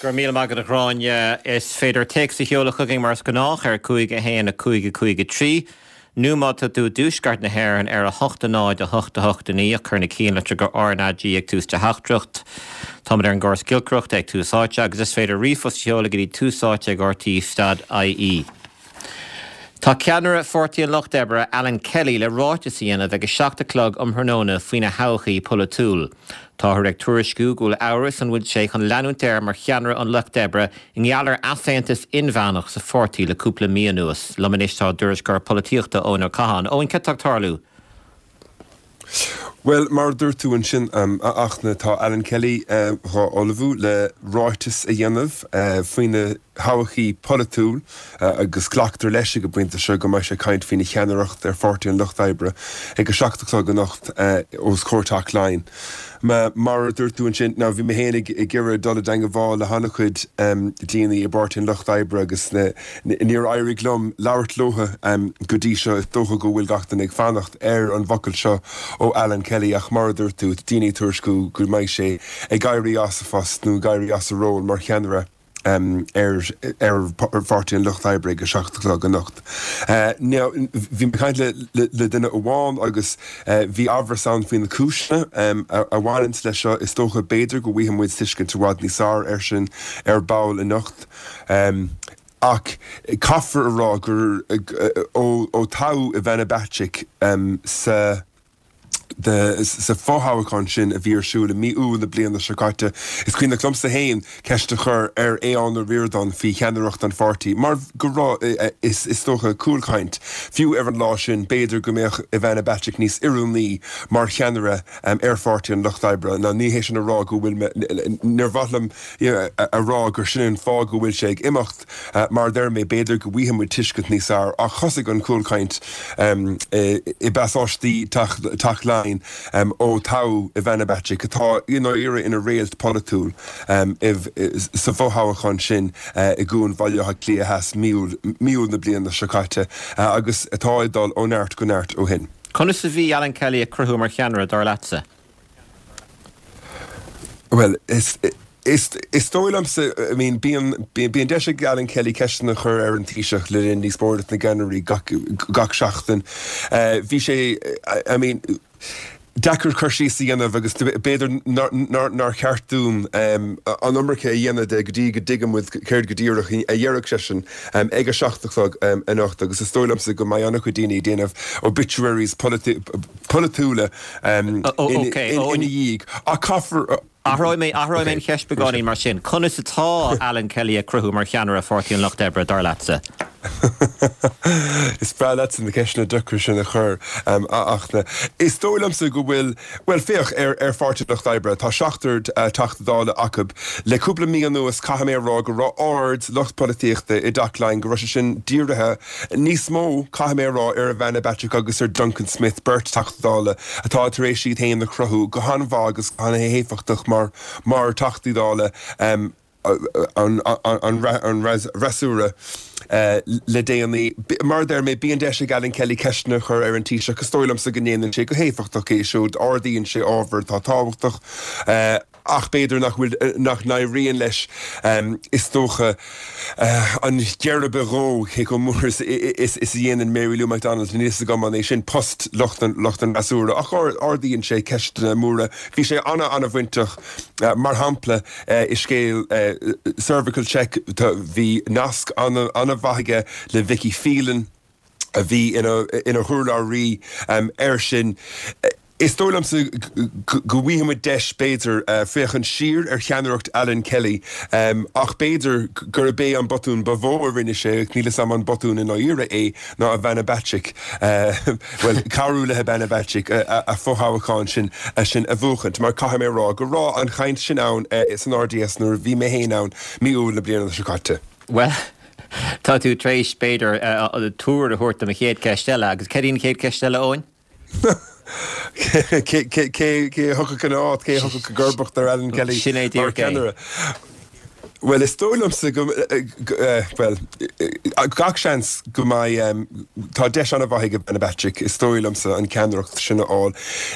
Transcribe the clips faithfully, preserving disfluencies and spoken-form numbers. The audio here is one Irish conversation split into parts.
Go raibh míle maith agat a Ghráinne is féidir téacs a sheoladh chugainn mar is gnách ar cúig a haon a cúig a cúig a trí. Nó má tá tú i dtuaisceart na hÉireann ar a hocht a náid a hocht a hocht a naoi cuir na cinnlitir RnaG ag tús do theachtaireacht. Táimid ar an gcóras giolcaireachta ag Tús Áite agus is féidir ríomhphost a sheoladh go dtí túsáite ag RTÉ dot IE. Tá ceannaire Pháirtí an Lucht Oibre Alan Kelly le ráiteas a dhéanamh ag a seacht a chlog um thráthnóna faoina thodhchaí polaitiúil. Táthar ag tuairisciú go bhfuil amhras an bhfuil sé chun leanúint air mar cheannaire an Lucht Oibre i ngeall ar easaontas inmheánach sa pháirtí le cúpla mí anuas. Liom anois tá tuairisceoir polaitíochta Eoin Ó Catháin. Eoin cad tá ag tarlú. Well mar dúirt tú ansin um, a Fhachtna tá Alan Kelly uh, dhá ullmhú le ráiteas a dhéanamh uh, faoina thodhchaí polaitiúil uh, agus glactar leis ag an bpointe seo go mbeidh sé ag caint faoina cheannaireacht ar Pháirtí an Lucht Oibre ag a seacht a chlog anocht uh, os comhair Teach Laighean. Ma, mar dúirt tú ansin ná bhí mé féin ag iarraidh dul i dteagmháil le han-chuid um, daoine i bPáirtí an Lucht Oibre agus níor éirigh liom labhairt leo um, go dtí seo is dócha go bhfuil gach duine ag fanacht ar an bhfocal seo ó Alan Kelly ach mar dúirt tú daoine ag tuairisciú go mbeidh sé ag éirí as a phost nó ag éirí as a ról mar cheannaire um, ar ar Pháirtí an Lucht Oibre ag a seacht a chlog anocht. Uh, bhí mé ag caint le, le, le duine amháin agus uh, bhí amhras ann faoi na cúiseanna um, a, a bhaineann leis seo is dócha b'fhéidir go bhfaighidh muid tuiscint i bhfad níos fearr air sin ar ball anocht. Um, ach caithfear a rá gur ó, ó toghadh Ivana Bacik um, sa de sa fothoghchán sin a bhí ar siúl i mí Iúil na bliana seo caite is cuimhin liomsa féin ceist a chur ar Aodhán Ó Ríordáin faoi cheannaireacht an pháirtí mar go raibh is is dócha cúlchaint fiú ar an lá sin b'fhéidir go mbeadh Ivana Bacik níos oiriúnaí mar cheannaire um, ar Pháirtí an Lucht Oibre ná ní hé sin a rá go bhfuil níor mhaith liom a rá gur sin an fáth go bhfuil sé ag imeacht uh, mar deir mé b'fhéidir go bhfaighidh muid tuiscint níos fearr ach thosaigh an cúlchaint um, i bpasáistí Teach Laighean um, ó toghadh Ivana Bacik atá you know, ina réalt polaitiúil um, sa fothoghchán sin uh, i gCuan Bhaile Átha Cliath Theas mí Iúil na bliana seo caite uh, agus atá ag dul ó neart go neart ó shin. Conas a bhí Alan Kelly ag cruthú mar cheannaire dar leatsa? Well, is Is is dóigh liomsa I mean bíonn bíonn deis ag Alan Kelly ceisteanna a chur ar an Taoiseach le linn díospóireacht na gceannairí gach gach seachtain. Uh, bhí sé I mean deacair cur síos a dhéanamh agus b'fhéidir nár cheart dúinn um, an iomarca a dhéanamh de go dtí go dtuigfidh muid céard go díreach a déarfaidh seisean um, ag a seacht a chlog um, anocht agus is dóigh liomsa go mbeidh an-chuid daoine ag déanamh obituaries polaitiúla um, ina dhiaidh a caithfear Athróidh mé athróidh mé an cheist beagáinín mar sin. Conas atá Alan Kelly ag cruthú mar cheannaire Pháirtí an Lucht Oibre dar leatsa. Is breá leat na ceisteanna deacra sin a chur um, ach na. Is dóigh liomsa go bhfuil well féach ar ar Pháirtí an Lucht Oibre tá seachtar uh, Teachta Dála acu le cúpla mí anuas caithfidh mé a rá go raibh aird lucht polaitíochta i dTeach Laighean go raibh sé sin dírithe níos mó caithfidh mé a rá ar Ivana Bacik agus ar Duncan Smith beirt Teachta Dála atá tar éis iad féin a chruthú go han-mhaith agus an-éifeachtach mar mar Teachtaí Dála um, an fhreasúra le déanaí. Mar deir mé bíonn deis ag Alan Kelly ceisteanna a chur ar an Taoiseach is dóigh liomsa go ndéanann sé go héifeachtach é siúd ardaíonn sé ábhar atá tábhachtach ach b'fhéidir nach bhfuil nach n-éiríonn leis is dócha an geirbe a dhó cé chomh mór is is a dhéanann Mary Lou McDonald níl a fhios agam an é sin post lucht an lucht an fhreasúra ach ardaíonn sé ceisteanna móra. Bhí sé ana ana-bhainteach mar shampla i scéal cervical check bhí nasc ana ana-mhaith aige le Vicky Phelan a bhí ina ina hurlabhraí air sin. Is dóigh liomsa go bhfaighidh muid deis b'fhéidir féachaint siar ar cheannaireacht Alan Kelly ach b'fhéidir gurb é an botún ba mhó a rinne sé, níl a fhios agam an botún i ndáiríre é, ná Ivana Bacik, bhuel, cabhrú le Ivana Bacik a fothoghchán sin sin a bhuachaint mar caithfidh mé a rá go raibh an chaint sin ann san RDS nuair a bhí mé féin ann mí Iúil na bliana seo caite. Bhuel, tá tú tar éis b'fhéidir tuar a thabhairt do mo chéad cheist eile agus céard í an chéad cheist eile, Eoin? Cé a thiocfadh ina áit, cé a thiocfadh i gcomharbacht ar Alan Kelly Sin é mar díreach é. cheannaire? Well is dóigh liomsa go well gach seans go mbeidh tá deis an-mhaith ag Ivana Bacik is dóigh liomsa an ceannaireacht sin a fháil.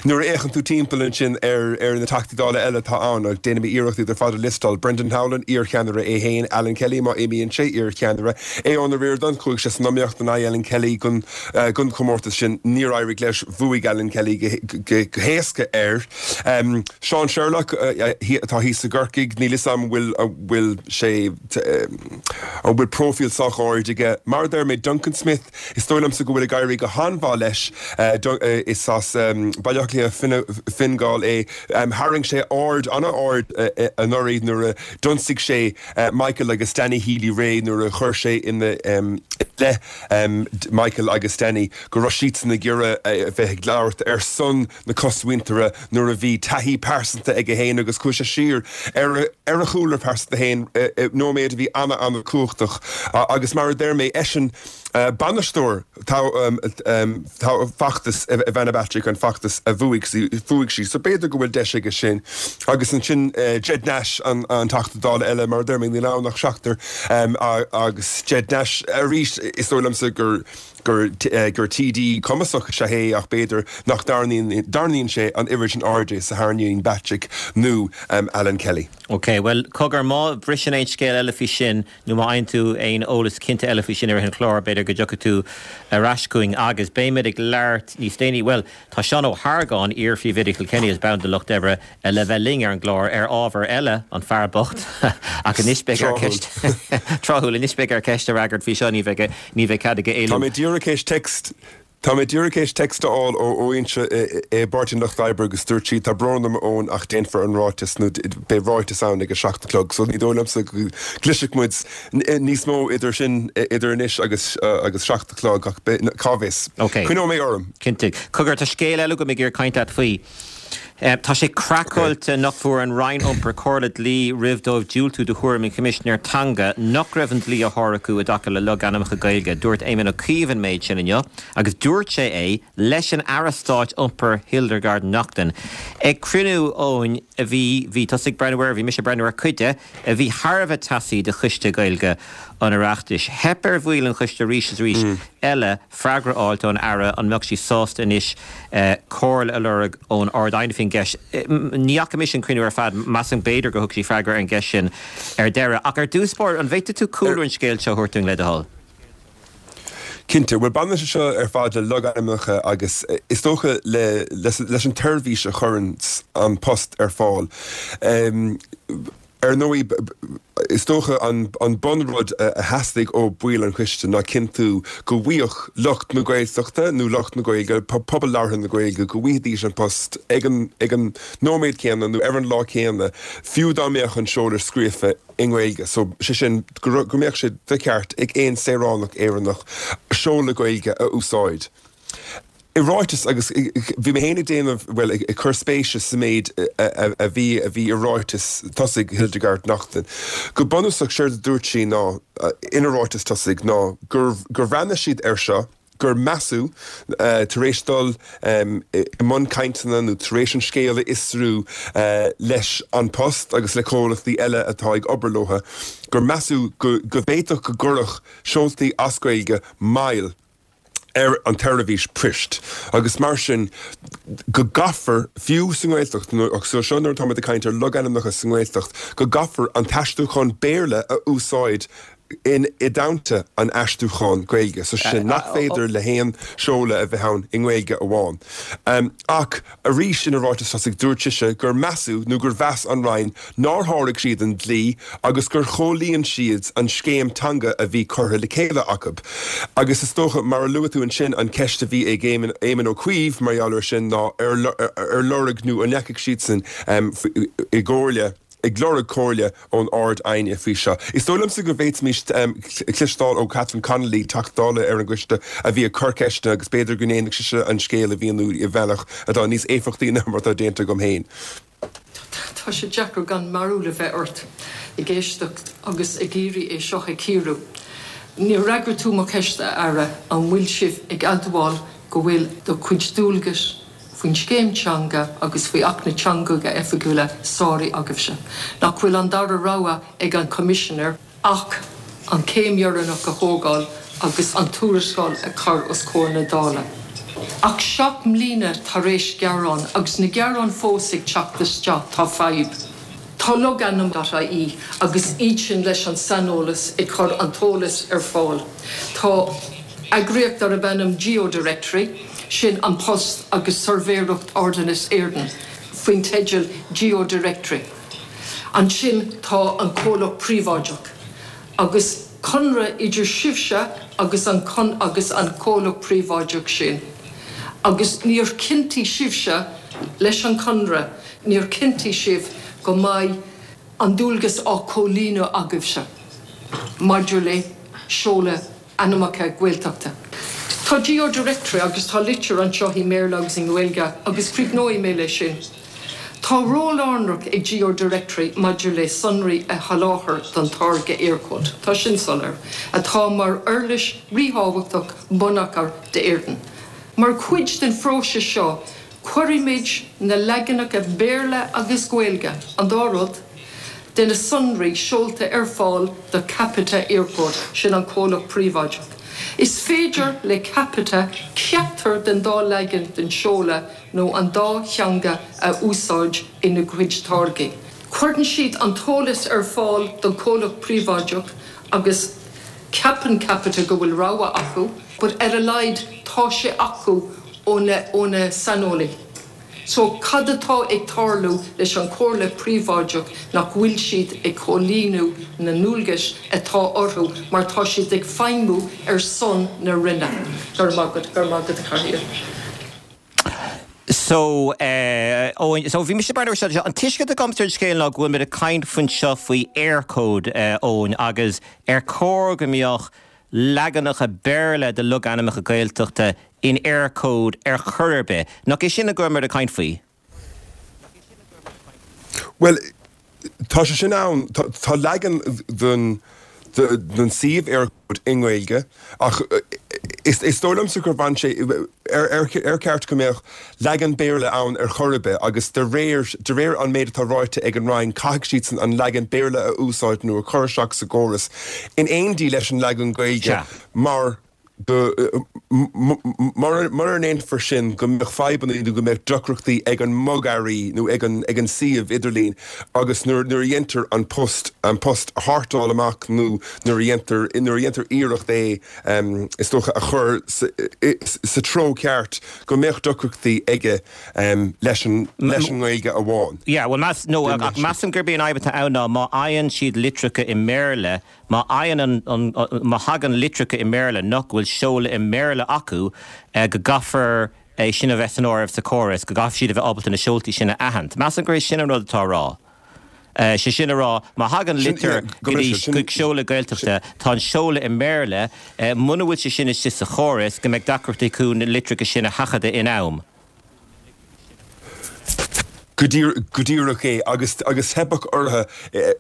Nuair a fhéachann tú timpeall ansin ar ar na Teachtaí Dála eile atá ann ach déanaim iarracht iad ar fad a liostáil Brendan Howlin iarcheannaire é féin, Alan Kelly má imíonn sé iarcheannaire, Aodhán Ó Ríordáin chuaigh sé san iomaíocht in aghaidh Alan Kelly don don chomórtas sin níor éirigh leis bhuaigh Alan Kelly go héasca air. Seán Sherlock atá thíos i gCorcaigh níl fhios agam bhfuil bhfuil sé an bhfuil próifíl sách ard aige. Mar a deir mé Duncan Smith, is dóigh liomsa go bhfuil ag éirí go han-mhaith leis is as Baile Átha Cliath Fine Gall é. Tharraing sé aird an-ard anuraidh nuair a d'ionsaigh sé Michael agus Danny Healy-Rae nuair a chuir sé ina leith Michael agus Danny go raibh siadsan ag iarraidh a bheith ag labhairt ar son na cosmhuintire nuair a bhí taithí pearsanta aige féin agus chuaigh sé siar ar ar a chúlra pearsanta féin nóiméad a bhí an-an-chumhachtach agus mar a deir mé eisean bainisteoir feachtas Ivana Bacik an feachtas a bhuaigh bhuaigh sí so b'fhéidir go bhfuil deis aige sin agus ansin Ged Nash an an Teachta Dála eile mar a deir mé níl ann ach seachtar agus Ged Nash arís is dóigh liomsa gur gur gur TD cumasach is ea é ach b'fhéidir nach dtarraingíonn sé an oiread sin airde is a tharraingíonn Bacik nó Alan Kelly. Ok, bhuel cogar má bhriseann aon scéal eile faoi sin nó má fhaigheann tú aon eolas cinnte eile faoi sin ar an chlár, b'fhéidir go dtiocfaidh tú ar ais chugainn agus beimid ag labhairt níos déanaí. Bhuel, tá Seán Ó hArgáin, iar-phríomhoide Kilkenny is ball de Lucht Oibre le bheith linn ar an gclár ar ábhar eile an fear bocht ach anois beidh air ceist tráthúil anois beidh air ceist a fhreagairt faoi seo ní bheidh ní bheidh cead aige éalú. Tá mé díreach théis text Tá mé díreach théis text a fháil ó fhoinse i bPáirtí an Lucht Oibre agus dúirt sí tá brón orm Eoin ach déanfar an ráiteas nó beidh ráiteas ann ag a seacht a chlog so ní dóigh liomsa go gcloisfidh muid níos mó idir sin idir anois agus agus seacht a chlog ach cá bhfios. Ok. Coinneoidh mé orm. Cinnte. Cogar tá scéal eile agam ag iarraidh caint leat faoi. Tá sé craiceáilte nach bhfuair an Roinn Iompair comhairle dlí roimh dóibh diúltú do thuairim an Choimisinéir Teanga nach raibh an dlí á shárú acu i dtaca le logainmneacha Gaeilge. Dúirt Éamon Ó Cuív an méid sin inniu agus dúirt sé é leis an Aire Stáit Iompair Hildegarde Naughton ag cruinniú Eoin a bhí bhí tusa ag breathnú air, bhí mise ag breathnú ar cuid de, a bhí thar a bheith teasaí de Choiste Gaeilge an Oireachtais. Theip ar bhaill an choiste arís is arís eile freagra a fháilt ón Aire an mbeadh sí sásta anois comhairle a lorg ón Ard-Aighne faoin gceist. Ní fhaca mise an cruinniú ar fad, measaim b'fhéidir gur thug sí freagra ar an gceist sin ar deireadh. Ach ar dtús báire, an bhféadfaidh tú cúlra an scéil seo a thabhairt dúinn le do thoil? Cinnte, bhuel baineann sé seo ar fad le logainmneacha agus is dócha le leis an tseirbhís a chuireann An Post ar fáil. Ar ndóigh, is dócha an bunrud a theastaigh ó bhaill an choiste ná cinntiú go bhfaigheadh lucht na Gaeltachta nó lucht na Gaeilge, pobal labhartha na Gaeilge, go bhfaighidís an post ag an ag an nóiméad céanna nó ar an lá céanna, fiú dá mbeadh an seoladh scríofa i nGaeilge. So, sé sin, go mbeadh sé de cheart ag aon saoránach Éireannach seoladh Gaeilge a úsáid. I ráiteas, agus bhí mé féin ag déanamh, bhuel, ag cur spéise sa méid a bhí a bhí i ráiteas tosaigh Hildegarde Naughton. Go bunúsach, séard a dúirt sí ná, ina ráiteas tosaigh, ná gur gur bhreathnaigh siad air seo, gur measadh, tar éis dul i mbun cainteanna nó tar éis an scéal a fhiosrú leis An Post agus le comhlachtaí eile atá ag obair leo, gur measadh go go bhféadfadh go gcuirfeadh seoltaí as Gaeilge moill ar an tseirbhís poist agus mar sin go gcaithfear, fiú sa nGaeltacht, agus seo nuair atáimid ag caint ar logainmneacha sa nGaeltacht, go gcaithfear an t-aistriúchán Béarla a úsáid in i dteannta an aistriúcháin Gaeilge, so sin nach féidir le haon seoladh a bheith ann i nGaeilge amháin. Ach arís ina ráiteas tosaigh dúirt sise gur measadh nó gur mheas an Roinn nár sháraigh siad an dlí agus gur chomhlíon siad an scéim teanga a bhí curtha le chéile acu. Agus is dócha, mar a luaigh tú ansin, an cheist a bhí ag Éamon Ó Cuív mar gheall air sin ná ar lorg nó an ndeachaigh siadsan i gcomhairle, ag lorg comhairle ón Ard-Aighne faoi seo. Is dóigh liomsa go bhféadfaimis cloisteáil ó Catherine Connolly, Teachta Dála ar an gcoiste, a bhí ag cur ceisteanna agus b'fhéidir go ndéanfadh sise an scéal a mhíniú i bhealach atá níos éifeachtaí ná mar atá déanta agam féin. Tá sé deacair gan mearbhall a bheith ort ag éisteacht agus ag iarraidh é seo a chíoradh. Níor fhreagair tú mo cheist, a Aire, an bhfuil sibh ag admháil go bhfuil do chuid dualgais faoin scéim teanga agus faoi Acht na dTeangacha Oifigiúla sáraithe agaibhse. Nach bhfuil an dara rogha ag an Commissioner ach an céim dheireanach a thógáil agus an tuarascáil a chur os comhair na Dála. Ach seacht mbliana tar éis gearán agus na gearáin fós ag teacht isteach tá fadhb. Tá logainm.ie agus iad sin leis an saineolas ag cur an t-eolas ar fáil. Tá eagraíocht darb ainm GeoDirectory, sin An Post agus Suirbhéireacht Ordanáis Éireann, faoin teideal GeoDirectory. Ansin tá an comhlacht príobháideach. Agus conradh idir sibhse agus an con agus an comhlacht príobháideach sin. Agus níor chinntigh sibhse leis an conradh, níor chinntigh sibh go mbeidh an dualgas á chomhlíonadh agaibhse. Maidir le seoladh ainmneacha Gaeltachta. Tá GeoDirectory agus tá litir anseo i mBéarla agus i nGaeilge agus críochnóidh mé leis sin. Tá ról lárnach ag GeoDirectory maidir le sonraí a sholáthar don táirge Eircode. Tá sin soiléir, atá mar uirlis ríthábhachtach bonneagair d'Éirinn. Mar chuid den phróiseas seo, cuirimid na leaganacha Béarla agus Gaeilge, an dá rud, de na sonraí seolta ar fáil do Capita Eircode, sin an comhlacht príobháideach. Is féidir le Capita ceachtar den dá leagan den seoladh nó an dá theanga a úsáid ina gcuid táirgí. Cuireann siad an t-eolas ar fáil don chomhlacht príobháideach agus ceapann Capita go bhfuil rogha acu, but ar a laghad tá sé acu óna óna saineolaí. So cad atá ag tarlú leis an chomhlacht príobháideach nach bhfuil siad ag comhlíonadh na ndualgas atá orthu mar tá siad ag feidhmiú ar son na Roinne. Gur magad gur magad chair. So uh, Eoin, so bhí mise bar seo an tuiscint agam ar an scéal ná go bhfuil muid ag caint faoin seo faoi Eircode uh, Eoin agus ar chóir go mbeadh leaganacha Béarla de logainmneacha Gaeltachta in Eircode ar chor ar bith. Nach é sin a bhfuil muid ag caint faoi? Well, tá sé sin ann tá leagan den den suíomh Eircode i nGaeilge ach is is dóigh liomsa gur bhain sé ar ar ar cheart go mbeadh leagan Béarla ann ar chor ar bith agus de réir de réir an méid atá ráite ag an Roinn caithfidh siad an leagan Béarla a úsáid nó a chur isteach sa gcóras in éindí leis an leagan Gaeilge mar mar mar ndéanfar sin go mbeadh fadhbanna nó go mbeadh deacrachtaí ag an mbogearraí nó ag an ag an suíomh idirlín agus nuair nuair a dhéantar an post an post a shórtáil amach nó nuair a dhéantar nuair a dhéantar iarracht é um, is dócha a chur sa, sa treo ceart go mbeadh deacrachtaí aige um, leis an leis an nGaeilge amháin. Yeah, well meas no ach measaim gurb é an fhadhb atá ann ná má fhaigheann siad litreacha i mBéarla, má fhaigheann an, an, má thagann litreacha i mBéarla nach bhfuil seoladh i mBéarla acu eh, go gcaithfear é sin a bheith san áireamh sa chóras, go gcaithfidh siad a bheith ábalta na seoltaí sin a aithint. Measaim gur é sin an rud atá á rá. Uh, sé sin a rá má thagann litir go dtí seoladh Gaeltachta tá an seoladh i mBéarla uh, muna bhfuil sé sin istigh sa chóras go mbeidh deacrachtaí acu na litreacha sin a sheachadadh in am. Go díreach é agus agus theipfeadh orthu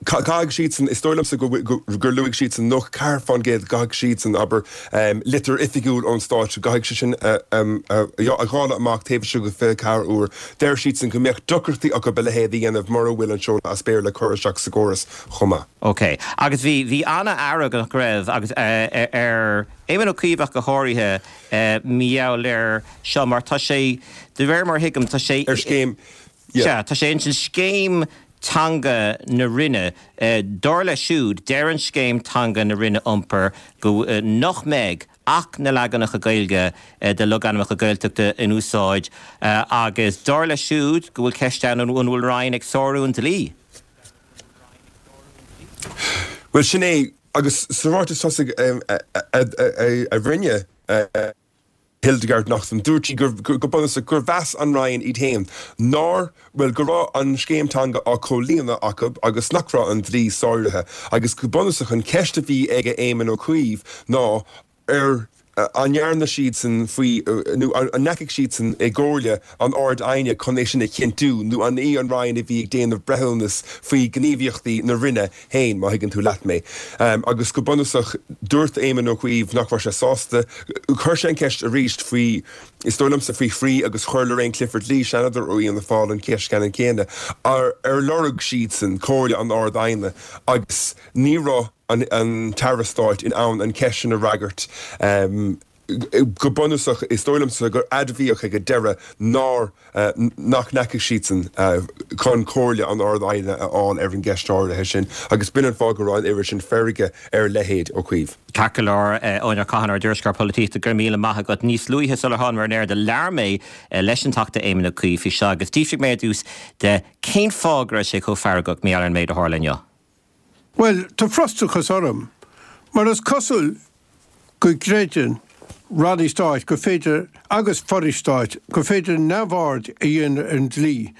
caithfidh siad is dóigh liomsa gur luaigh siad san nócha ceathair faoin gcéad caithfidh siad san abair litir oifigiúil ón stát caithfidh sé sin a dháileadh amach taobh istigh de fiche ceathair uair. Deir siad san go mbeadh deacrachtaí acu a leithéid a dhéanamh mura bhfuil an seoladh as Béarla curtha isteach sa gcóras chomh maith. Ok, agus bhí bhí an-fhearg go raibh agus ar Éamon Ó Cuív go háirithe mar gheall air seo mar tá sé de réir mar thuigim tá sé ar scéim Sea, tá sé in scéim teanga na Roinne dar leo siúd deir an scéim teanga na Roinne Iompair go nach mbeidh ach na leaganacha Gaeilge de logainmneacha Gaeltachta in úsáid agus dar leo siúd go bhfuil ceist ann an bhfuil Roinn ag sárú an dlí. Well sin é agus sa ráiteas tosaigh a rinne Hildegarde Naughton dúirt sí go bunúsach gur mheas an Roinn iad féin nár well go raibh an scéim teanga á comhlíonadh acu agus nach raibh an dlí sáraithe agus go bunúsach an ceist a bhí ag Éamon Ó Cuív ná ar an ndearna siad san faoi nó an ndeachaigh siad san i gcomhairle an Ard-Aighne chun é sin a chinntiú nó an í an Roinn a bhí ag déanamh breithiúnas faoi ghníomhaíochtaí na Roinne féin má thuigeann tú leat mé. Um, agus go bunúsach dúirt Éamon Ó Cuív nach raibh sé sásta chuir sé an ceist arís faoi Is dóigh liomsa faoi thrí agus chuir Lorraine Clifford-Lee, Seanadóir ó Fhianna Fáil an cheist ceannann céanna, ar ar lorg siadsan comhairle an Ard-Aighne agus ní raibh an an tAire Stáit in ann an cheist sin a fhreagairt. Go bunúsach, is dóigh liomsa gur admhaíodh ag an deireadh nár nach ndeachaigh siadsan chun comhairle an Ard-Aighne a fháil ar an gceist áirithe sin agus b'in an fáth go raibh an oiread sin feirge ar a leithéid Ó Cuív. Ceart go leor, Eoin Ó Catháin, ár dtuairisceoir polaitíochta, go raibh míle maith agat. Níos luaithe sular thánamar ar aer do labhair mé leis an Teachta Éamon Ó Cuív faoi seo agus d'fhiafraigh mé ar dtús de cén fáth go raibh sé chomh feargach mar gheall ar an méid a tharla inniu. Bhuel, tá frustrachas orm, mar is cosúil go gcreideann ranna stáit gur féidir, agus forais stáit, gur féidir neamhaird a dhéanamh ar an dlí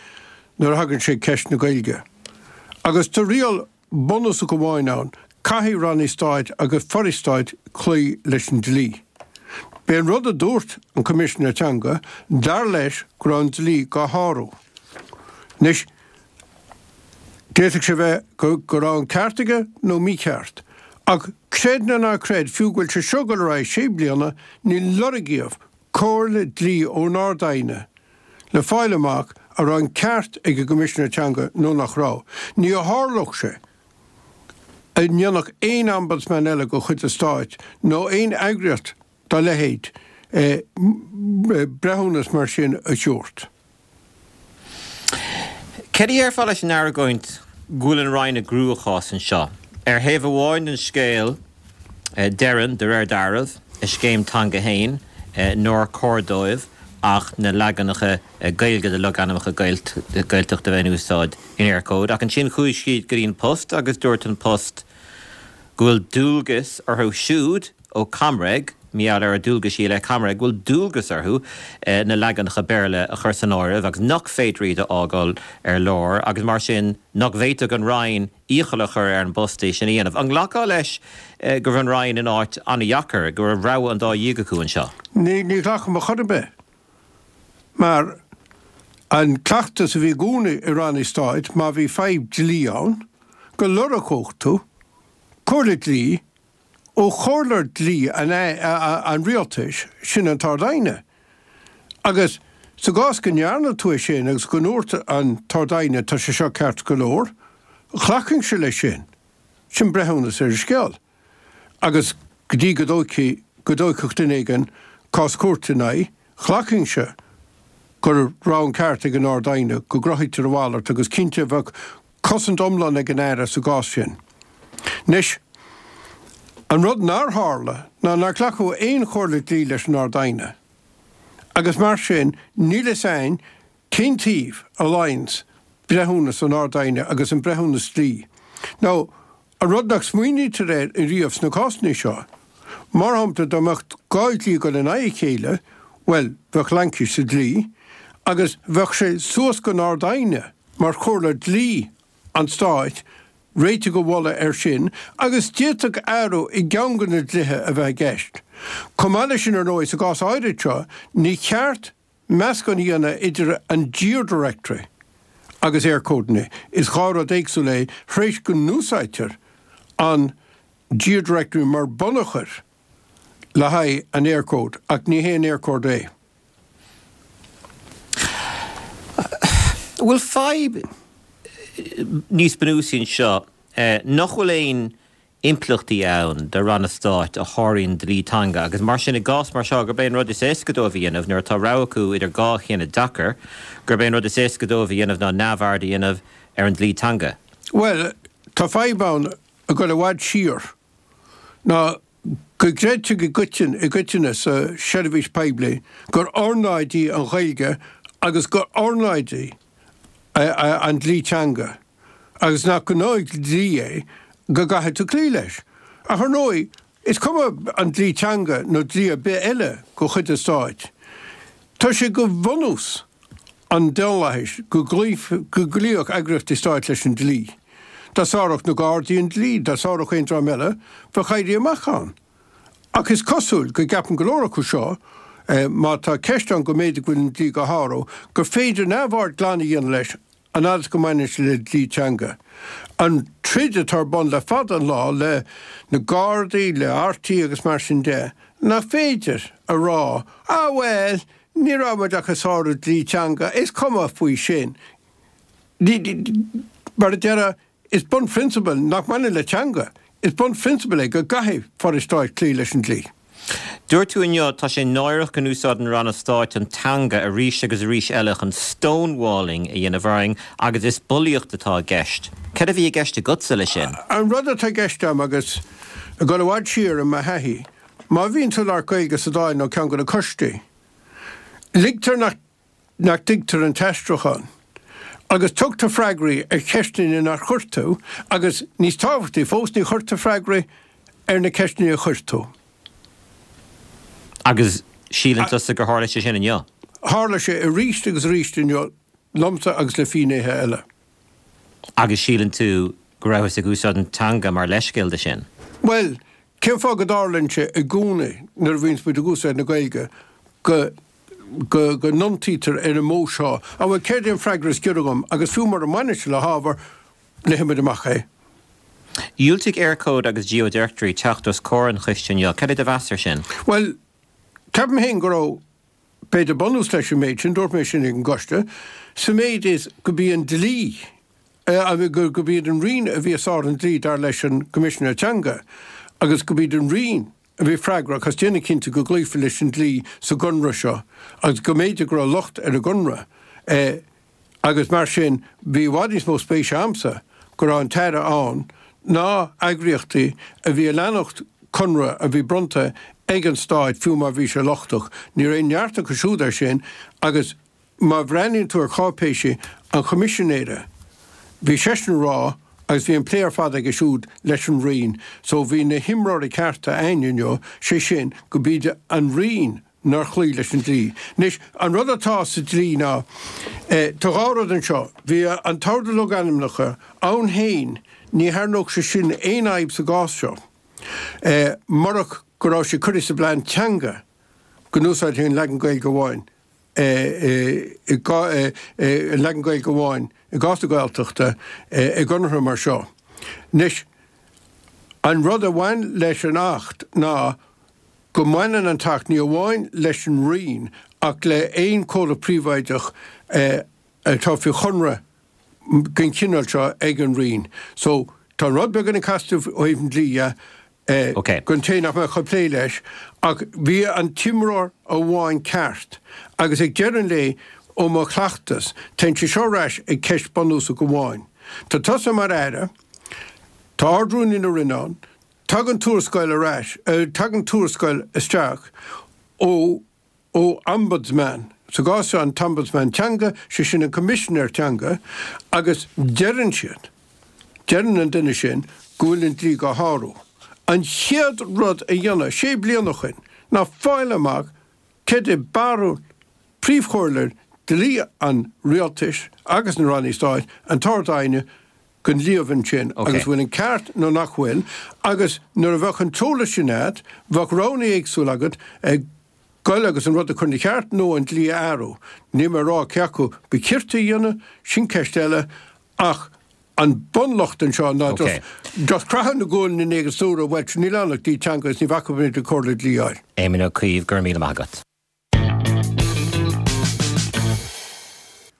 nuair a thagann sé ceist na Gaeilge. Agus tá riail bunúsach amháin ann, caithfidh ranna stáit agus forais stáit cloí leis an dlí. B'é an rud a dúirt an Coimisinéir Teanga, dar leis go raibh an dlí dhá shárú. Anois, D'fhéadfadh sé bheith go raibh an ceart aige nó mícheart. Ach creid nó ná creid, fiú go bhfuil sé seo ag dul ar aghaidh sé bliana, níor lorgaíodh comhairle dlí ón Ard-Aighne le fáil amach an raibh an ceart ag an gCoimisinéir Teanga nó nach raibh. Ní tharlódh sé a ndéanfadh aon Ombudsman eile de chuid an Stáit nó aon eagraíocht dá leithéid breithiúnas mar sin a thabhairt. Céard a dhéarfá leis an argóint go bhfuil an Roinn i gcruachás anseo? Ar thaobh amháin den scéal, deireann, de réir dealraimh, a scéim teanga féin nár chóir dóibh ach na leaganacha Gaeilge de logainmneacha Gaeltachta a bheith in úsáid in Eircode. Ach ansin chuaigh siad go dtí An Post agus dúirt An Post go bhfuil dualgas orthu siúd ó ComReg, mar gheall ar a ndualgaisí i leith ComReg, go bhfuil dualgas orthu na leaganacha Béarla a chur san áireamh agus nach féidir iad a fhágáil ar lár agus mar sin nach bhféadfadh an Roinn iachall a chur ar an bPost é sin a dhéanamh. An nglacfá leis go raibh an Roinn in áit an-dheacair, go raibh rogha an dá dhíog acu anseo? Ní ghlacaim ar chor ar bith. Mar an cleachtas a bhí i gcónaí i ranna stáit, má bhí fadhb dlí ann, go lorgódh tú comhairle dlí ó chomhairleoir dlí an rialtais, sin an tArd-Aighne. Agus sa gcás go ndearna tú é sin agus go ndúirt an tArd-Aighne tá sé seo ceart go leor, ghlacfainnse leis sin. Sin breithiúnas ar an scéal. Agus go dtí go dtóigfidh, go dtógfadh duine éigin cás cúirte ina aghaidh, ghlacfainnse go raibh an ceart ag an Ard-Aighne, go gcruthaítear a mhalairt agus cinnte bheadh cosaint iomlán ag an Aire sa gcás sin. Anois, an rud nár tharla ná nár glacadh aon chomhairle dlí leis an Ard-Aighne agus mar sin níl fhios a'inn cén taobh a luíonns breithiúnas an Ard-Aighne agus an breithiúnas dlí. Nó an rud nach smaoinítear air ariamh sna cásanna seo, mar shampla dá mbeadh dhá dhlí ag dul in aghaidh a chéile, bhuel, bheadh laincis sa dlí agus bheadh sé suas don Ard-Aighne mar chomhairleoir dlí an Stáit réiteach a mholadh air sin agus d'fhéadfadh athrú i gceann de na dlíthe a bheith i gceist. Chomh maith leis sin, ar ndóigh, sa gcás áirid seo, ní cheart meascán a dhéanamh idir an GeoDirectory agus Eircode. Is dhá rud éagsúil é, tar éis go n-úsáidtear an GeoDirectory mar bunachar le haghaidh an Eircode, ach ní hé an Eircode é. An bhfuil fadhb níos bunúsaí anseo nach bhfuil aon impleachtaí ann do ranna stáit a sháraíonn dlí teanga agus mar sin i gcás mar seo gurb é an rud is éasca dóibh a dhéanamh nuair atá rogha acu idir dhá chinneadh deacair, gurb é an rud is éasca dóibh a dhéanamh ná neamhaird a dhéanamh ar an dlí teanga? Bhuel, tá fadhb ann ag dul i bhfad siar ná go gcreidtear i gcoitinne, i gcoitinne sa seirbhís poiblí gur ornáid í an Ghaeilge agus gur ornáid í an dlí teanga agus nach gnáthdhlí é go gcaithfidh tú cloí leis. Ach ar ndóigh, is cuma an dlí teanga nó dlí ar bith eile de chuid an stáit, tá sé de bhunús an daonlathais go gcloífeadh eagraíochtaí stáit leis an dlí. Dá sáródh na Gardaí an dlí, dá sáródh aon dream eile, bheadh éirí amach ann. Ach is cosúil go gceapann go leor acu seo, má tá ceist ann go mb'fhéidir go bhfuil an dlí á shárú, gur féidir neamhaird glan a dhéanamh leis, an fhad is go mbaineann sé le dlí teanga. An troid atá ar bun le fada an lá le na Gardaí, le RTÉ agus mar sin de, nach féidir a rá, ah bhuel, ní raibh muid ach ag sárú dlí teanga, is cuma faoi sin. Mar a déarfá, is bunphrionsabal nach mbaineann le teanga, is bunphrionsabal é go gcaithfidh forais stáit cloí leis an dlí. Dúirt tú inniu, tá sé náireach go n-úsáideann ranna stáit an teanga arís agus arís eile chun stonewalling a dhéanamh orainn agus is bulaíocht atá i gceist. Cad a bhí i gceist agatsa leis sin? An rud atá i gceist agam agus ag dul i bhfad siar i mo thaithí, má bhíonn tú ag labhairt Gaeilge sa Dáil nó ceann de na coistí, ligtear nach nach dtuigtear an t-aistriúchán agus tugtar freagraí ar cheisteanna nár chuir tú agus níos tábhachtaí fós ní chuirtear freagraí ar na ceisteanna a chuir tú. Agus síleann tusa gur tharla sé sin inniu? Tharla sé arís agus arís inniu liomsa agus le finnéithe eile. Agus síleann tú go rabhthas ag úsáid an teanga mar leithscéal de sin? Bhuel, cén fáth go dtarlaíonn sé i gcónaí nuair a bhíonns muid ag úsáid na Gaeilge go go go n-iontaítear ar an modh seo? Á bhuel, céard é an freagra is giorra dhom agus fiú mura mbaineann sé le hábhar, léifidh muid amach é. Dhiúltaigh Eircode agus GeoDirectory teacht os comhair an choiste inniu. Cad é do mheas air sin? Bhuel, ceapaim féin go raibh b'fhéidir bunús leis an méid sin, dúirt mé sin ag an gcoiste, sa méid is go b'í an dlí, go b'iad an Roinn a bhí ag sárú an dlí dar leis an gCoimisinéir Teanga agus go b'iad an Roinn a bhí freagrach as déanamh cinnte go gcloífí leis an dlí sa gconradh seo agus go mb'fhéidir go raibh locht ar an gconradh agus mar sin bhí i bhfad níos mó spéise a'msa go raibh an tAire ann ná eagraíochtaí a bhí ag leanacht conradh a bhí bronnta ag an Stáit fiú má bhí sé lochtach. Ní raibh aon neart acu siúd air sin agus má bhreathnaíonn tú ar cháipéisí an Choimisinéara bhí seisean ag rá agus bhí an plé ar fad aige siúd leis an Roinn so bhí na himreoirí cearta a'ainn inniu, sé sin go b'iad an Roinn nár chloígh leis an dlí. Anois, an rud atá sa dlí ná, tá dhá rud anseo, bhí an tOrdú Logainmneacha ann féin, ní tharraingeodh sé sin aon fhadhb sa gcás seo, murach go raibh sé curtha sa bplean teanga go n-úsáidfí an leagan Gaeilge amháin, an leagan Gaeilge amháin i gcás na Gaeltachta i gconartha mar seo. Anois, an rud a bhain leis an Acht ná go mbaineann an tAcht ní amháin leis an Roinn ach le haon chomhlacht príobháideach atá faoi chonradh den chineál seo ag an Roinn. So, tá an rud beagáinín casta ó thaobh an dlí dhe don té nach mbeadh ag plé leis ach bhí an t-imreoir amháin ceart agus ag deireadh an lae ó mo chleachtas, téann sé seo ar ais ag ceist bunúsach amháin. Tá tusa mar Aire, tá Ard-Rúnaí na Roinne ann, tagann tuarascáil ar ais, tagann tuarascáil isteach ó ó Ombudsman, sa gcás seo an tOmbudsman Teanga, sé sin an Coimisinéir Teanga, agus deireann siad, deireann an duine sin go bhfuil an dlí dhá shárú. An chéad rud a dhéanamh sé bliana ó shin ná fáil amach cad é barúil príomhchomhairleoir dlí an Rialtais agus na Rannaí Stáit, an tArd-Aighne, den líomhain sin agus bhfuil an ceart nó nach bhfuil agus nuair a bheadh an t-eolas sin agat bheadh roghanna éagsúla agat ag goil agus an rud a chur ina cheart nó an dlí a athrú. Níl mé ag rá cé acu ba chirte a dhéanamh, sin ceist eile ach an bunlocht anseo ná just just croitheadh na guailne in éadan dúradh bhuel níl ann ach dlí teanga is ní bhacfaidh muid le comhairle dlí a fháil. Éamon Ó Cuív, go raibh míle maith agat.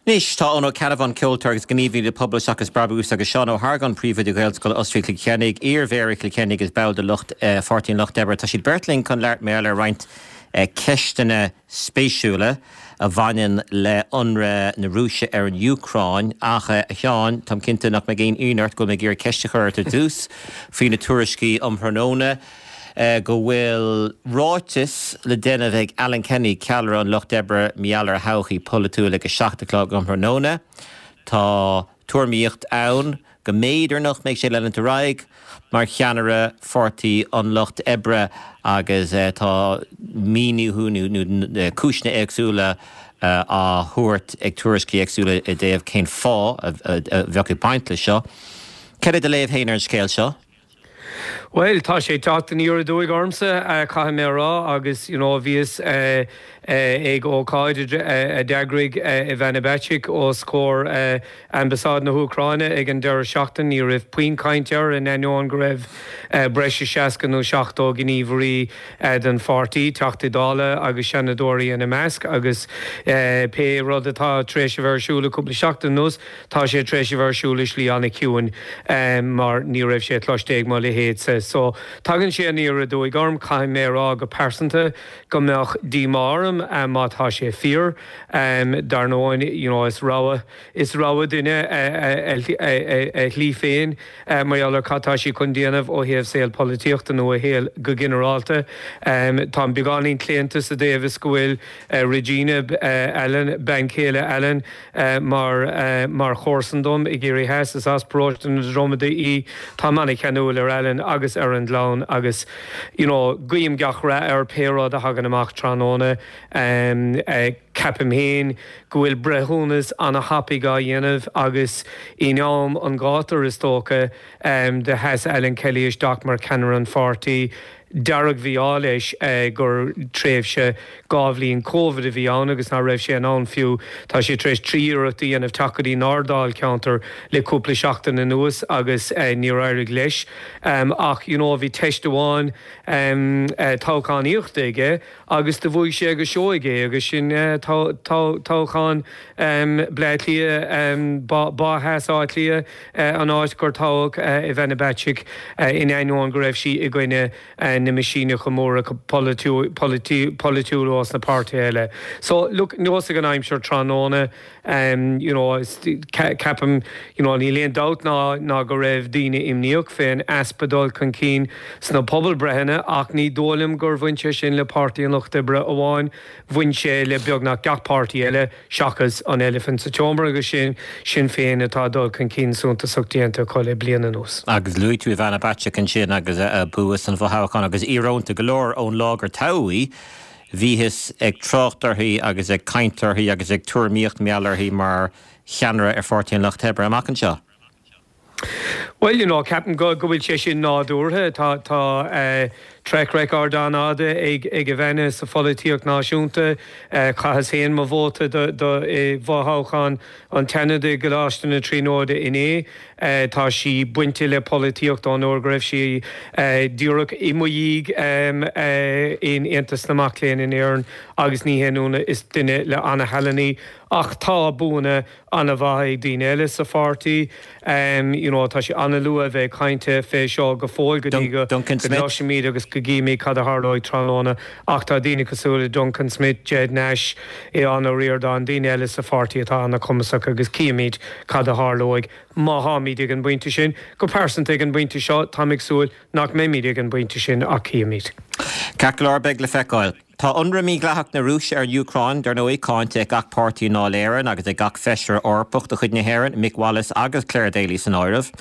Anois, tá Eoin Ó Ceannabháin, ceoltóir agus gníomhaí le Pobal Seachas Brabús, agus Seán Ó hArgáin, príomhoide Ghaelscoil Osraí Chill Chainnigh, iar-mhéara Chill Chainnigh agus ball de lucht Pháirtí an Lucht Oibre. Tá siad beirt linn chun labhairt mar gheall ar roinnt ceisteanna spéisiúla a bhaineann le hionradh na Rúise ar an Úcráin. Ach, a Sheáin, táim cinnte nach mbeidh aon ionadh ort go bhfuil mé ag iarraidh ceist a chur ort ar dtús faoi na tuairiscí um thráthnóna. go bhfuil ráiteas le déanamh ag Alan Kenny, ceannaire an Lucht Oibre, mar gheall ar a thodhchaí polaitiúil ag a seacht a chlog um thráthnóna. Tá tuairimíocht ann go mb'fhéidir nach mbeidh sé ag leanúint ar aghaidh mar cheannaire Pháirtí an Lucht Oibre agus tá míniú nó cúiseanna éagsúla á thabhairt ag tuairiscí éagsúla i dtaobh cén fáth a bheadh ag baint leis seo. Cad é do léamh féin ar an scéal seo? Well, tá sé teacht aniar aduaidh ormsa, caithfidh mé a rá, agus you know bhíos ag ócáid a d'eagraigh Ivana Bacik os comhair Ambasáid na hÚcráine ag an deireadh seachtaine. Ní raibh puinn cainte air in ainneoin go raibh breis is seasca nó seachtó gníomhairí den pháirtí, Teachtaí Dála agus Seanadóirí ina measc, agus pé rud atá tar éis a bheith ar siúl le cúpla seachtain anuas, tá sé tar éis a bheith ar siúl i slí an-chiúin mar ní raibh sé cloiste ag mo leithéidse. So tagann sé aniar aduaidh orm, caithfidh mé a rá go pearsanta go mbeadh díomá orm má tá sé fíor. Dar ndóigh, you know, is rogha, is rogha duine a shlí féin mar gheall ar cad tá sí chun déanamh ó thaobh saol polaitíochta nó a shaol go ginearálta. Táim beagáinín claonta sa dtaobh is go bhfuil Regina Allen, bean chéile Alan, mar mar chomharsan dom i gCiarraí Theas, is as paróiste na Dromada í. Táim an-cheanúil ar Alan agus ar an gclann agus you know guím gach rath air pé rud a thagann amach tráthnóna. Ceapaim féin go bhfuil breithiúnas an-thapaidh á dhéanamh agus in am an ghátair is dócha do sheas Alan Kelly isteach mar cheannaire an pháirtí. Dearg-mhí-ádh leis gur tréimhse dhá bhliain Covid a bhí ann agus nach raibh sé in ann fiú, tá sé tar éis trí iarracht a dhéanamh teacht go dtí ár ndáilcheantar le cúpla seachtain anuas agus níor éirigh leis. Ach you know bhí teist amháin toghchánaíochta aige agus do bhuaigh sé go seoigh é agus sin toghchán Bleá Cliath, Bá Theas Átha Cliath, an áit gur toghadh Ivana Bacik in ainneoin go raibh sí i gcoinne na meaisíneacha móra polaitiúla ós na páirtithe eile. So look, neosfaidh an aimsir tráthnóna, you know, ceapaim, you know, níl aon dabht ná ná go raibh daoine imníoch fén easpa dul chun cinn sna pobalbreitheanna ach ní dóigh liom gur bhain sé sin le Páirtí an Lucht Oibre amháin, bhain sé le beagnach gach páirtí eile seachas an eilifint sa tseomra agus sin Sinn Féin atá dul chun cinn suntasach déanta acu le bliain anuas. Agus luaigh tú Ivana Bacik ansin agus a bua san fhothoghchán agus íorónta go leor ón lá gur toghadh í, bhíothas ag trácht uirthi agus ag caint uirthi agus ag tuairimíocht mar gheall uirthi mar cheannaire ar Pháirtí an Lucht Oibre amach anseo. Well, you know, ceapaim go go bhfuil sé sin nádúrtha. Tá tá eh, track record an-fhada ag ag Ivana sa pholaitíocht náisiúnta. Eh, chaitheas féin mo vóta do do i bhfothoghchán an tSeanaid i gColáiste na Tríonóide inné. Eh, tá sí bainte le polaitíocht ón uair go raibh sí eh, díreach i mo dhiaidh em, eh, in Aontas na Mac Léinn in Éirinn agus ní haon ionadh is duine le an-thallann í. Ach tá buanna an-mhaith ag daoine eile sa pháirtí. Um, you know, tá sé an-luath a bheith ag caint fé seo go fóill go dtí go Duncan go Smith. gcloisfimid agus go gcífimid cad a tharlóidh tráthnóna. Ach tá daoine cosúil le Duncan Smith, Ged Nash, Aodhán Ó Ríordáin, daoine eile sa pháirtí atá an-chumasach agus cífimid cad a tharlóidh má tháimid ag an bpointe sin. Go pearsanta ag an bpointe seo, táim ag súil nach mbeimid ag an bpointe sin ach cífimid. Ceart go leor beidh le feiceáil. Tá ionradh mídhleathach na Rúise ar an Úcráin, dar ndóigh, cáinte ag gach páirtí i nDáil Éireann agus ag gach feisire Eorpach de chuid na hÉireann, Mick Wallace agus Clare Daly san áireamh.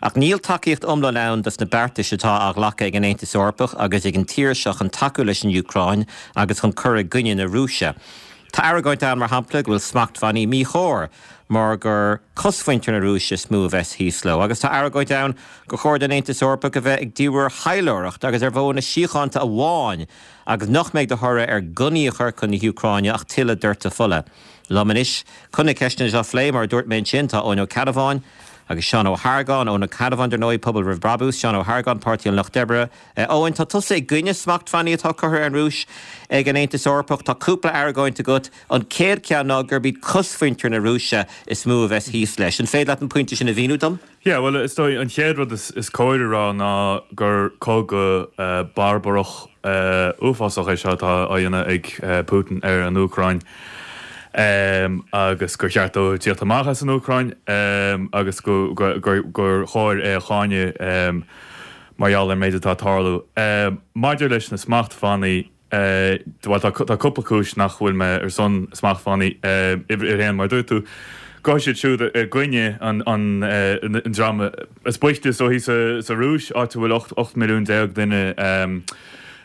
Ach níl tacaíocht iomlán ann dos na beartais atá á ghlacadh ag an Aontas Eorpach agus ag an tír seo chun tacú leis an Úcráin agus chun cur i gcoinne na Rúise. Tá argóint ann mar shampla go bhfuil smachtbhannaí míchóir mar gur cosmhuintir na Rúise is mó a bheas thíos leo, agus tá argóint ann gur chóir don Aontas Eorpach a bheith ag díriú ar thaidhleoireacht agus ar mhodhanna síochánta amháin agus nach mbeidh de thoradh ar ghunnaí a chur chun na hÚcráine ach tuilleadh doirteadh fola. Liom anois chun na ceisteanna seo a phlé mar a dúirt mé ansin tá Eoin Ó Ceannabháin agus Seán Ó hArgáin, Eoin Ó Ceannabháin dar ndóigh Pobal Roimh Brabús, Seán Ó hArgáin, Páirtí an Lucht Oibre. Eoin, tá tusa i gcoinne smachtbhannaí atá curtha ar an Rúis ag an Aontas Eorpach, tá cúpla argóint agat an chéad cheann ná gurb iad cosmhuintir na Rúise is mó a bheas thíos leis. An féidir leat an pointe sin a mhíniú dom? Yeah, well is dóigh an chéad rud is, is cóir a rá ná gur cogadh uh, barbarach uh, uafásach é seo atá á dhéanamh ag uh, Putin ar an Úcráin. Um, agus gur cheart dó tíocht amach as an Úcráin um, agus go, go, gur, gur chóir é a cháineadh um, mar gheall ar méid atá ag tarlú. Um, maidir leis na smachtbhannaí uh, well, tá, tá cúpla cúis nach bhfuil mé ar son smachtbhannaí uh, uimhir a haon mar dúirt tú. Go siad siúd i gcoinne an, an, uh, an dream is boichte so thíos sa, sa Rúis áit a bhfuil ocht milliún déag duine um,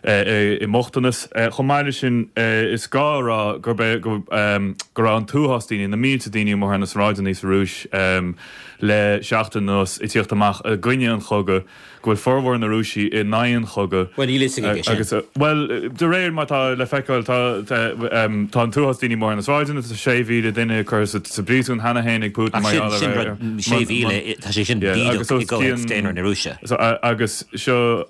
i mbochtanas. Chomh maith leis sin, is gá a rá gurb é go raibh an t-uafás daoine, na mílte daoine amuigh ar na sráideanna sa Rúis le seachtain anuas ag tíocht amach i gcoinne an chogaidh, go bhfuil formhór na Rúisigh in aghaidh an chogaidh. Bhuel, níl fhios aige sin. Agus, bhuel, de réir mar atá le feiceáil, tá tá an t-uafás daoine amuigh ar na sráideanna, tá sé mhíle duine curtha sa bpríosún cheana féin ag Putin mar gheall ar. Ach sin, sin rud, sé mhíle, tá sé sin bídeach i gcomhthéacs daonra na Rúise. Agus seo,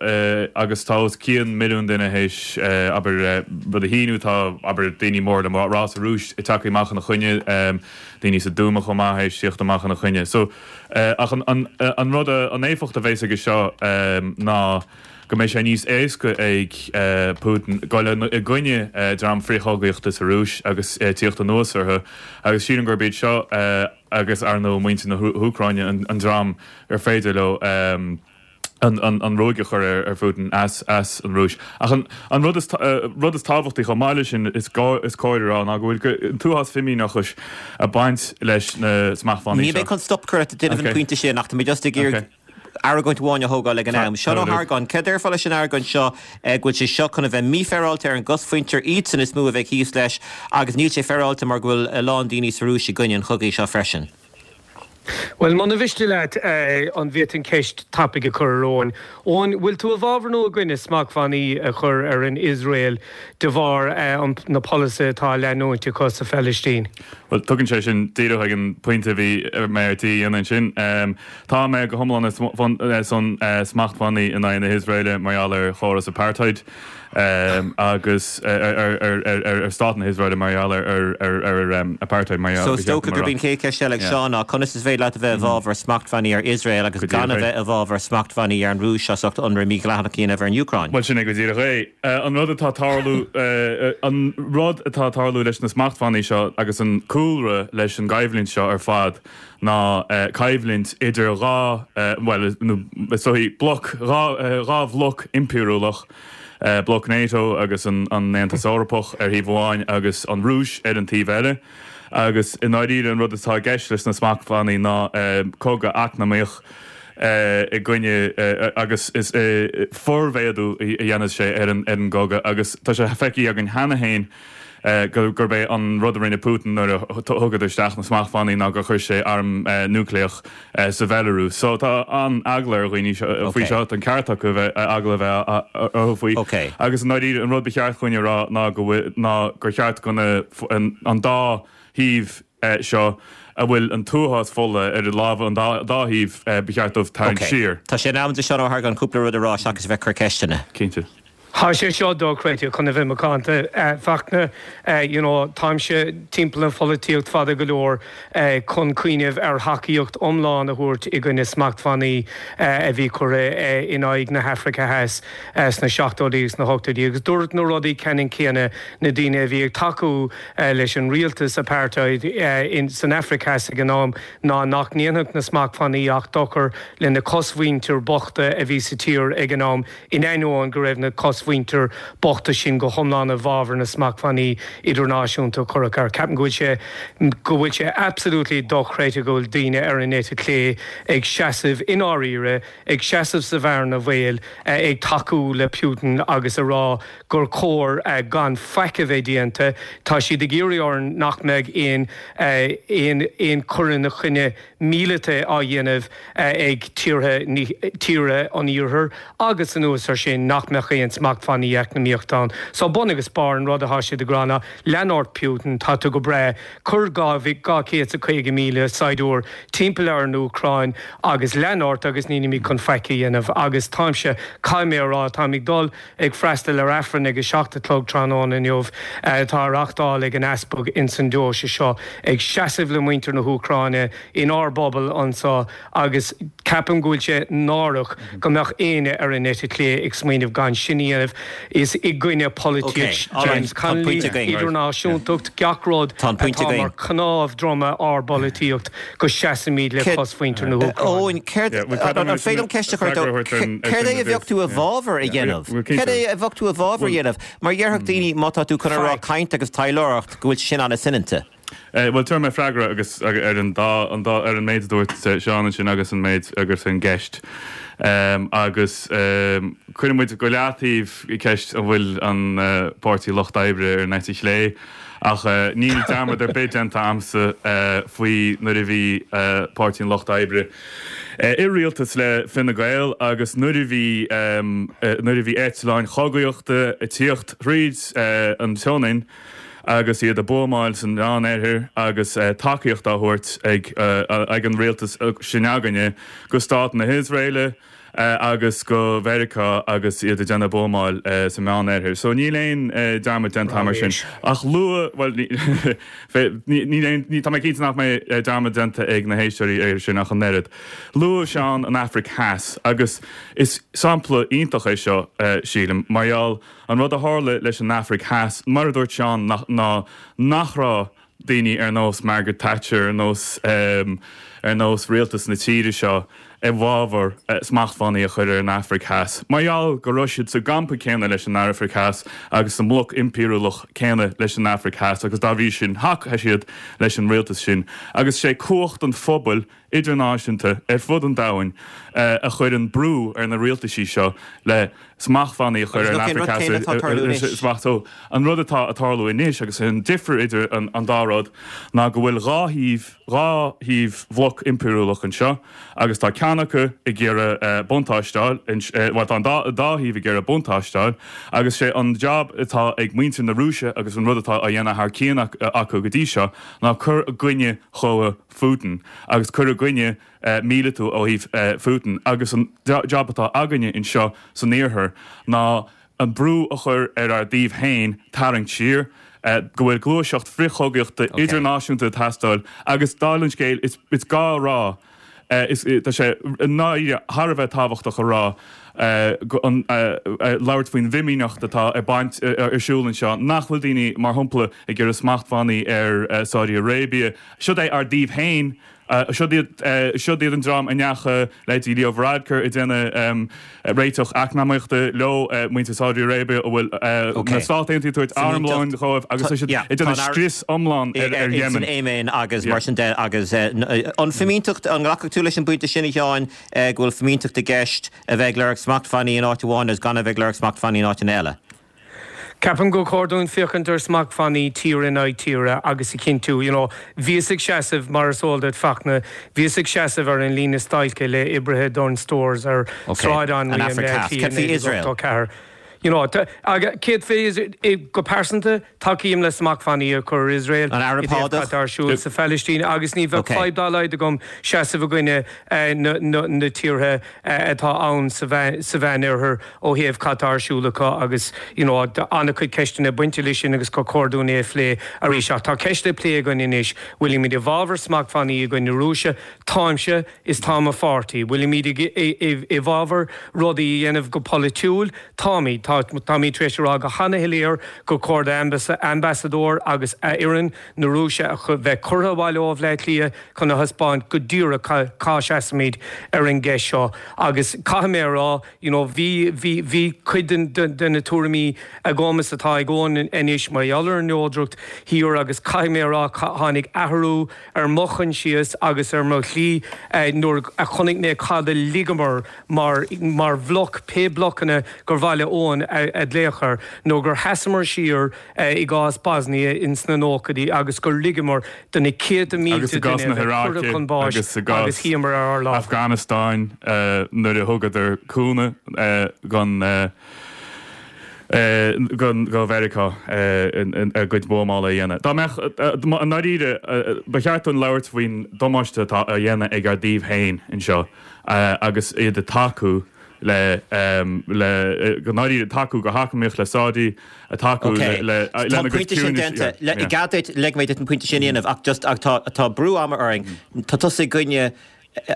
agus tá os cionn milliún duine théis, abair, rud a shíniú, tá, abair, daoine mór le rá sa Rúis ag teacht amach ina choinne, daoine sa Dúma chomh maith théis tíocht amach ina choinne. So, ach an, an, an rud, an éifeacht a bheas aige seo ná go mbeidh sé níos éasca ag Putin dul i gcoinne dream frithchogaíochta sa Rúis agus tíocht anuas orthu agus sílim gurb iad seo agus ar ndóigh muintir na hÚcráine an dream ar féidir leo an ruaig a chur ar Phutin as as an Rúis. Ach an an rud is rud is tábhachtaí chomh maith leis sin is gá is cóir a rá ná go bhfuil an t-uafás fimíneachais ag baint leis na smachtbhannaí Níl mé seo. chun stop cur ort ag déanamh an pointe sin ach tá mé just ag iarraidh argóint amháin a thógáil ag an am. Seán Ó hArgáin, céard a déarfá leis an argóint seo go bhfuil sé seo chun a bheith mífhéaráilte ar an gcosmhuintir, iadsan is mó a bheidh thíos leis agus níl sé féaráilte mar go bhfuil a lán daoine sa Rúis i gcoinne an chogaidh seo freisin. Bhuel, muna mhiste leat, an bhféadfainn ceist tapaidh a chur ar Eoin? Eoin, bhfuil tú i bhfabhar nó i gcoinne smachtbhannaí a chur ar an Iosrael de bharr na polasaithe atá á leanúint acu sa Phalaistín? Bhuel, tugann sé sin díreach ag an pointe a bhí mé ar tí a dhéanamh ansin. Tá mé go hiomlán ar son smachtbhannaí in aghaidh na hIosraeile mar gheall ar chóras apartheid agus ar stát na hIosraeile mar gheall ar apartheid mar So is dócha gurb í an chéad cheist eile ag Seán ná conas is féidir leat a bheith i bhfabhar smachtbhannaí ar Iosrael agus gan a bheith i bhfabhar smachtbhannaí ar an Rúis as ucht ionradh mídhleathach a dhéanamh ar an Úcráin? Bhuel sin é go díreach é. An rud atá tarlú an rud atá tarlú leis na smachtbhannaí seo agus an cúlra leis an gcoimhlint seo ar fad ná coimhlint idir dhá, bhuel, nó is dóichí bloc, dhá, dhá bhloc impiriúlach, bloc NATO agus an Aontas Eorpach ar thaobh amháin agus an Rúis ar an taobh eile. Agus i ndáiríre an rud atá i gceist leis na smachtbhannaí ná cogadh eacnamaíoch i gcoinne agus is formhéadú a dhéanfas sé ar an gcogadh agus tá sé feicthe againn cheana féin gurb é an rud a rinne Putin nuair a thugadar isteach na smachtbhannaí ná gur chuir sé arm núicléach sa Bhealarúis. So tá an-eagla ar dhaoine faoi seo, tá an ceart acu bheith eagla a bheith orthu faoi. Agus i ndáiríre an rud ba cheart dhúinn a rá ná go bhfuil, ná gur cheart go na, an dá thaobh seo a bhfuil an t-uafás fola ar a lámha an dá thaobh, ba cheart dóibh tarraingt siar. Tá sé in am do Seán Ó hArgáin cúpla rud a rá seachas a bheith ag cur ceisteanna. Cinnte. Tá sé seo dochreidte, chun a bheith macánta. Fachtna, you know, táimse timpeall an pholaitíocht fada go leor chun cuimhneamh ar thacaíocht iomlán a thabhairt i gcoinne smachtbhannaí a bhí curtha in aghaidh na hAfraice Theas sna seachtóidí agus sna hochtóidí agus dúirt na rudaí ceannann céanna na daoine a bhí ag tacú leis an rialtas apartheid san Afraic Theas ag an am ná nach ndéanfadh na smachtbhannaí ach dochar lena cosmhuintir bochta a bhí sa tír ag an am in ainneoin go raibh na cosmhuintir bochta sin go hiomlán i bhfabhar na smachtbhannaí idirnáisiúnta a cuireadh air. Ceapaim go bhfuil sé go bhfuil sé absolutely dochreidte go bhfuil daoine ar an eite chlé ag seasamh i ndáiríre, ag seasamh sa bhearna bhaoil, ag tacú le Putin agus a rá gur chóir gan faic a bheith déanta. Tá siad ag iarraidh orainn nach mbeidh aon aon aon chur ina choinne míleata á dhéanamh ag tíortha tíortha an Iarthair agus anuas ar sin nach mbeadh aon smachtbhannaí eacnamaíochta ann. So bun agus barr an rud atá siad ag rá ná lean ort Putin, tá tú go breá, cuir dhá dhá chéad is a caoga míle saighdiúir timpeall ar an Úcráin agus lean ort agus nílimid chun faic a dhéanamh agus táimse, caithfidh mé a rá, táim ag dul ag freastal ar Aifreann ag a seacht a chlog tráthnóna inniu atá á reachtáil ag an Easpag ins an deoise seo, ag seasamh le muintir na hÚcráine inár bpobal anseo agus ceapaim go bhfuil sé náireach go mbeadh éinne ar an eite chlé ag smaoineamh gan sin a dhéanamh. Is i gcoinne polaitíocht James Connolly, idirnáisiúntacht, gach rud atá mar chnámh droma ár bpolaitíocht go seasaimid le cosmhuintir na hÚcráine. Eoin, céard, an féidir liom ceist a chur ort? Céard é a bheadh tú i bhfabhar a dhéanamh? Céard é a bheadh tú i bhfabhar a dhéanamh? Mar dhéarfadh daoine má tá tú chun a rá caint agus taidhleoireacht go bhfuil sé sin an-soineanta. Bhuel, tabharfaidh mé freagra agus ar an dá an dá ar an méid a dúirt Seán ansin agus an méid agus an gceist. Agus cuirfidh muid go leataobh ceist an bhfuil an Páirtí Lucht Oibre ar an eite chlé, ach níl dearmad ar bith déanta a'msa faoi nuair a bhí Páirtí an Lucht Oibre i rialtas le Fine Gael agus nuair a bhí nuair a bhí eitleáin chogaíochta ag tíocht thríd an tSionainn agus iad ag buamáil san Mheánoirthear agus tacaíocht á thabhairt ag ag an rialtas sin againne go Stát na hIosraeile agus go Mheiriceá agus iad ag déanamh buamáil sa Mheánoirthear. So níl aon dearmad déanta agam ar sin. Ach luadh, bhuel, níl aon, tá mé cinnte nach mbeidh dearmad déanta ag na héisteoirí air sin ach an oiread. Luadh Seán an Afraic Theas agus is sampla iontach é seo, sílim, mar gheall an rud a tharla leis an Afraic Theas, mar a dúirt Seán, ná nach raibh daoine ar nós Margaret Thatcher, ar nós ar nós rialtas na tíre seo i bhfabhar smachtbhannaí a chur ar an Afraic Theas, mar gheall go raibh siad sa gcampa céanna leis an Afraic Theas agus sa mbloc impiriúlach céanna leis an Afraic Theas agus dá bhrí sin thacaigh siad leis an rialtas sin agus sé cumhacht an phobail idirnáisiúnta ar fud an domhain a chuireann brú ar na rialtaisí seo le smachtbhannaí a chur ar an Afraic Theas. An rud atá ag tarlú anois agus an difear idir an dá rud ná go bhfuil dhá thaobh, dhá thaobh bhloc impiriúlach anseo agus tá ceann acu ag iarraidh buntáiste a fháil, bhuel tá an dá thaobh ag iarraidh buntáiste a fháil agus sé an jab atá ag muintir na Rúise agus an rud atá á dhéanamh thar cionn acu go dtí seo ná cur i gcoinne chogadh Phutin agus cur i gcoinne míleatú ó thaobh Phutin agus an jab atá againne anseo san iarthar ná an brú a chur ar ár dtaobh féin tarraingt siar, go bhfuil gluaiseacht frithchogaíochta idirnáisiúnta ag teastáil agus dála an scéil is gá a rá, tá sé i ndáiríre thar a bheith tábhachtach a rá, labhairt faoin bhfimíneacht atá ag baint ar siúl anseo, nach bhfuil daoine, mar shampla, ag iarraidh smachtbhannaí ar Saudi Arabia. Siod é ár dtaobh féin, siod iad, siod iad an dream a ndeachaigh leithéidí Leo Varadkar ag déanamh réiteach eacnamaíochta leo, muintir Saudi Arabia a bhfuil na Stáit Aontaithe ag tabhairt armlóin dhóibh agus tá siad ag déanamh scrios iomlán ar Yemen. San Éimin agus mar sin de agus an fimínteacht, an nglacfadh tú leis an bpointe sin a Sheáin, go bhfuil fimínteacht i gceist a bheith ag lorg smachtbhannaí in áit amháin agus gan a bheith ag lorg smachtbhannaí in áiteanna eile? Ceapaim gur chóir dúinn féachaint ar smachtbhannaí tír in aghaidh tíre agus a chinntiú, you know, bhíos ag seasamh, mar is eol duit, Fachtna, bhíos ag seasamh ar an líne stailce le oibrithe Dunnes Stores ar Sráid Anraí i mBleá Cliath i naoi déag ochtó ceathair. You know, céard fé Iosrael? Go pearsanta, tacaím le smachtbhannaí a chur ar Iosrael i dtaobh cad atá ar siúl sa Phalaistín agus ní bheadh fadhb dá laghad agam seasamh i gcoinne na tíortha atá ann sa Mheánoirthear ó thaobh cad tá ar siúl acu agus you know an-chuid ceisteanna bainte leis sin agus gur chóir dúinn é a phlé arís. Ach tá ceist le plé againn anois, bhfuilimid i bhfabhar smachtbhannaí i gcoinne na Rúise? Táimse is tá mo pháirtí. Bhfuilimid i bhfabhar rudaí a dhéanamh go polaitiúil? Táimid. Táimid tar éis a rá go han-shoiléir gur chóir d'ambasadóir agus a fhoireann na Rúise a bheith curtha abhaile ó Bhleá Cliath chun a thaispeáint go díreach cá seasaimid ar an gceist seo. Agus caithfidh mé a rá, you know, bhí, bhí, bhí cuid den, de na tuairimí agam is atá ag Eoin anois mar gheall ar an neodracht thiar agus caithfidh mé a rá, tháinig athrú ar mo choinsias agus ar mo shlí nuair a chonaic mé cad a ligeamar mar, mar bhloc, pé blocanna gur mhaith le Eoin a ghlaoch air, nó gur sheasamar siar i gcás Bosnia ins na nóchaidí agus gur ligeamar do na céadta mílte duine a bheith curtha chun báis agus shuíomar ar ár lámha. Afghanistan nuair a thugadar cúnamh don do Mheiriceá a gcuid buamála a dhéanamh. Dá mbeadh, i ndáiríre, ba cheart dúinn labhairt faoin damáiste atá á dhéanamh ag ár dtaobh féin anseo agus iad ag tacú le le go ndáiríre tacú go heacnamaíoch le Saudi, a tacú le le lena gcuid ciúnais. Tá an pointe sin déanta. I gcead duit, ligfidh mé duit an pointe sin a dhéanamh ach just ach tá tá brú ama orainn. Tá tusa i gcoinne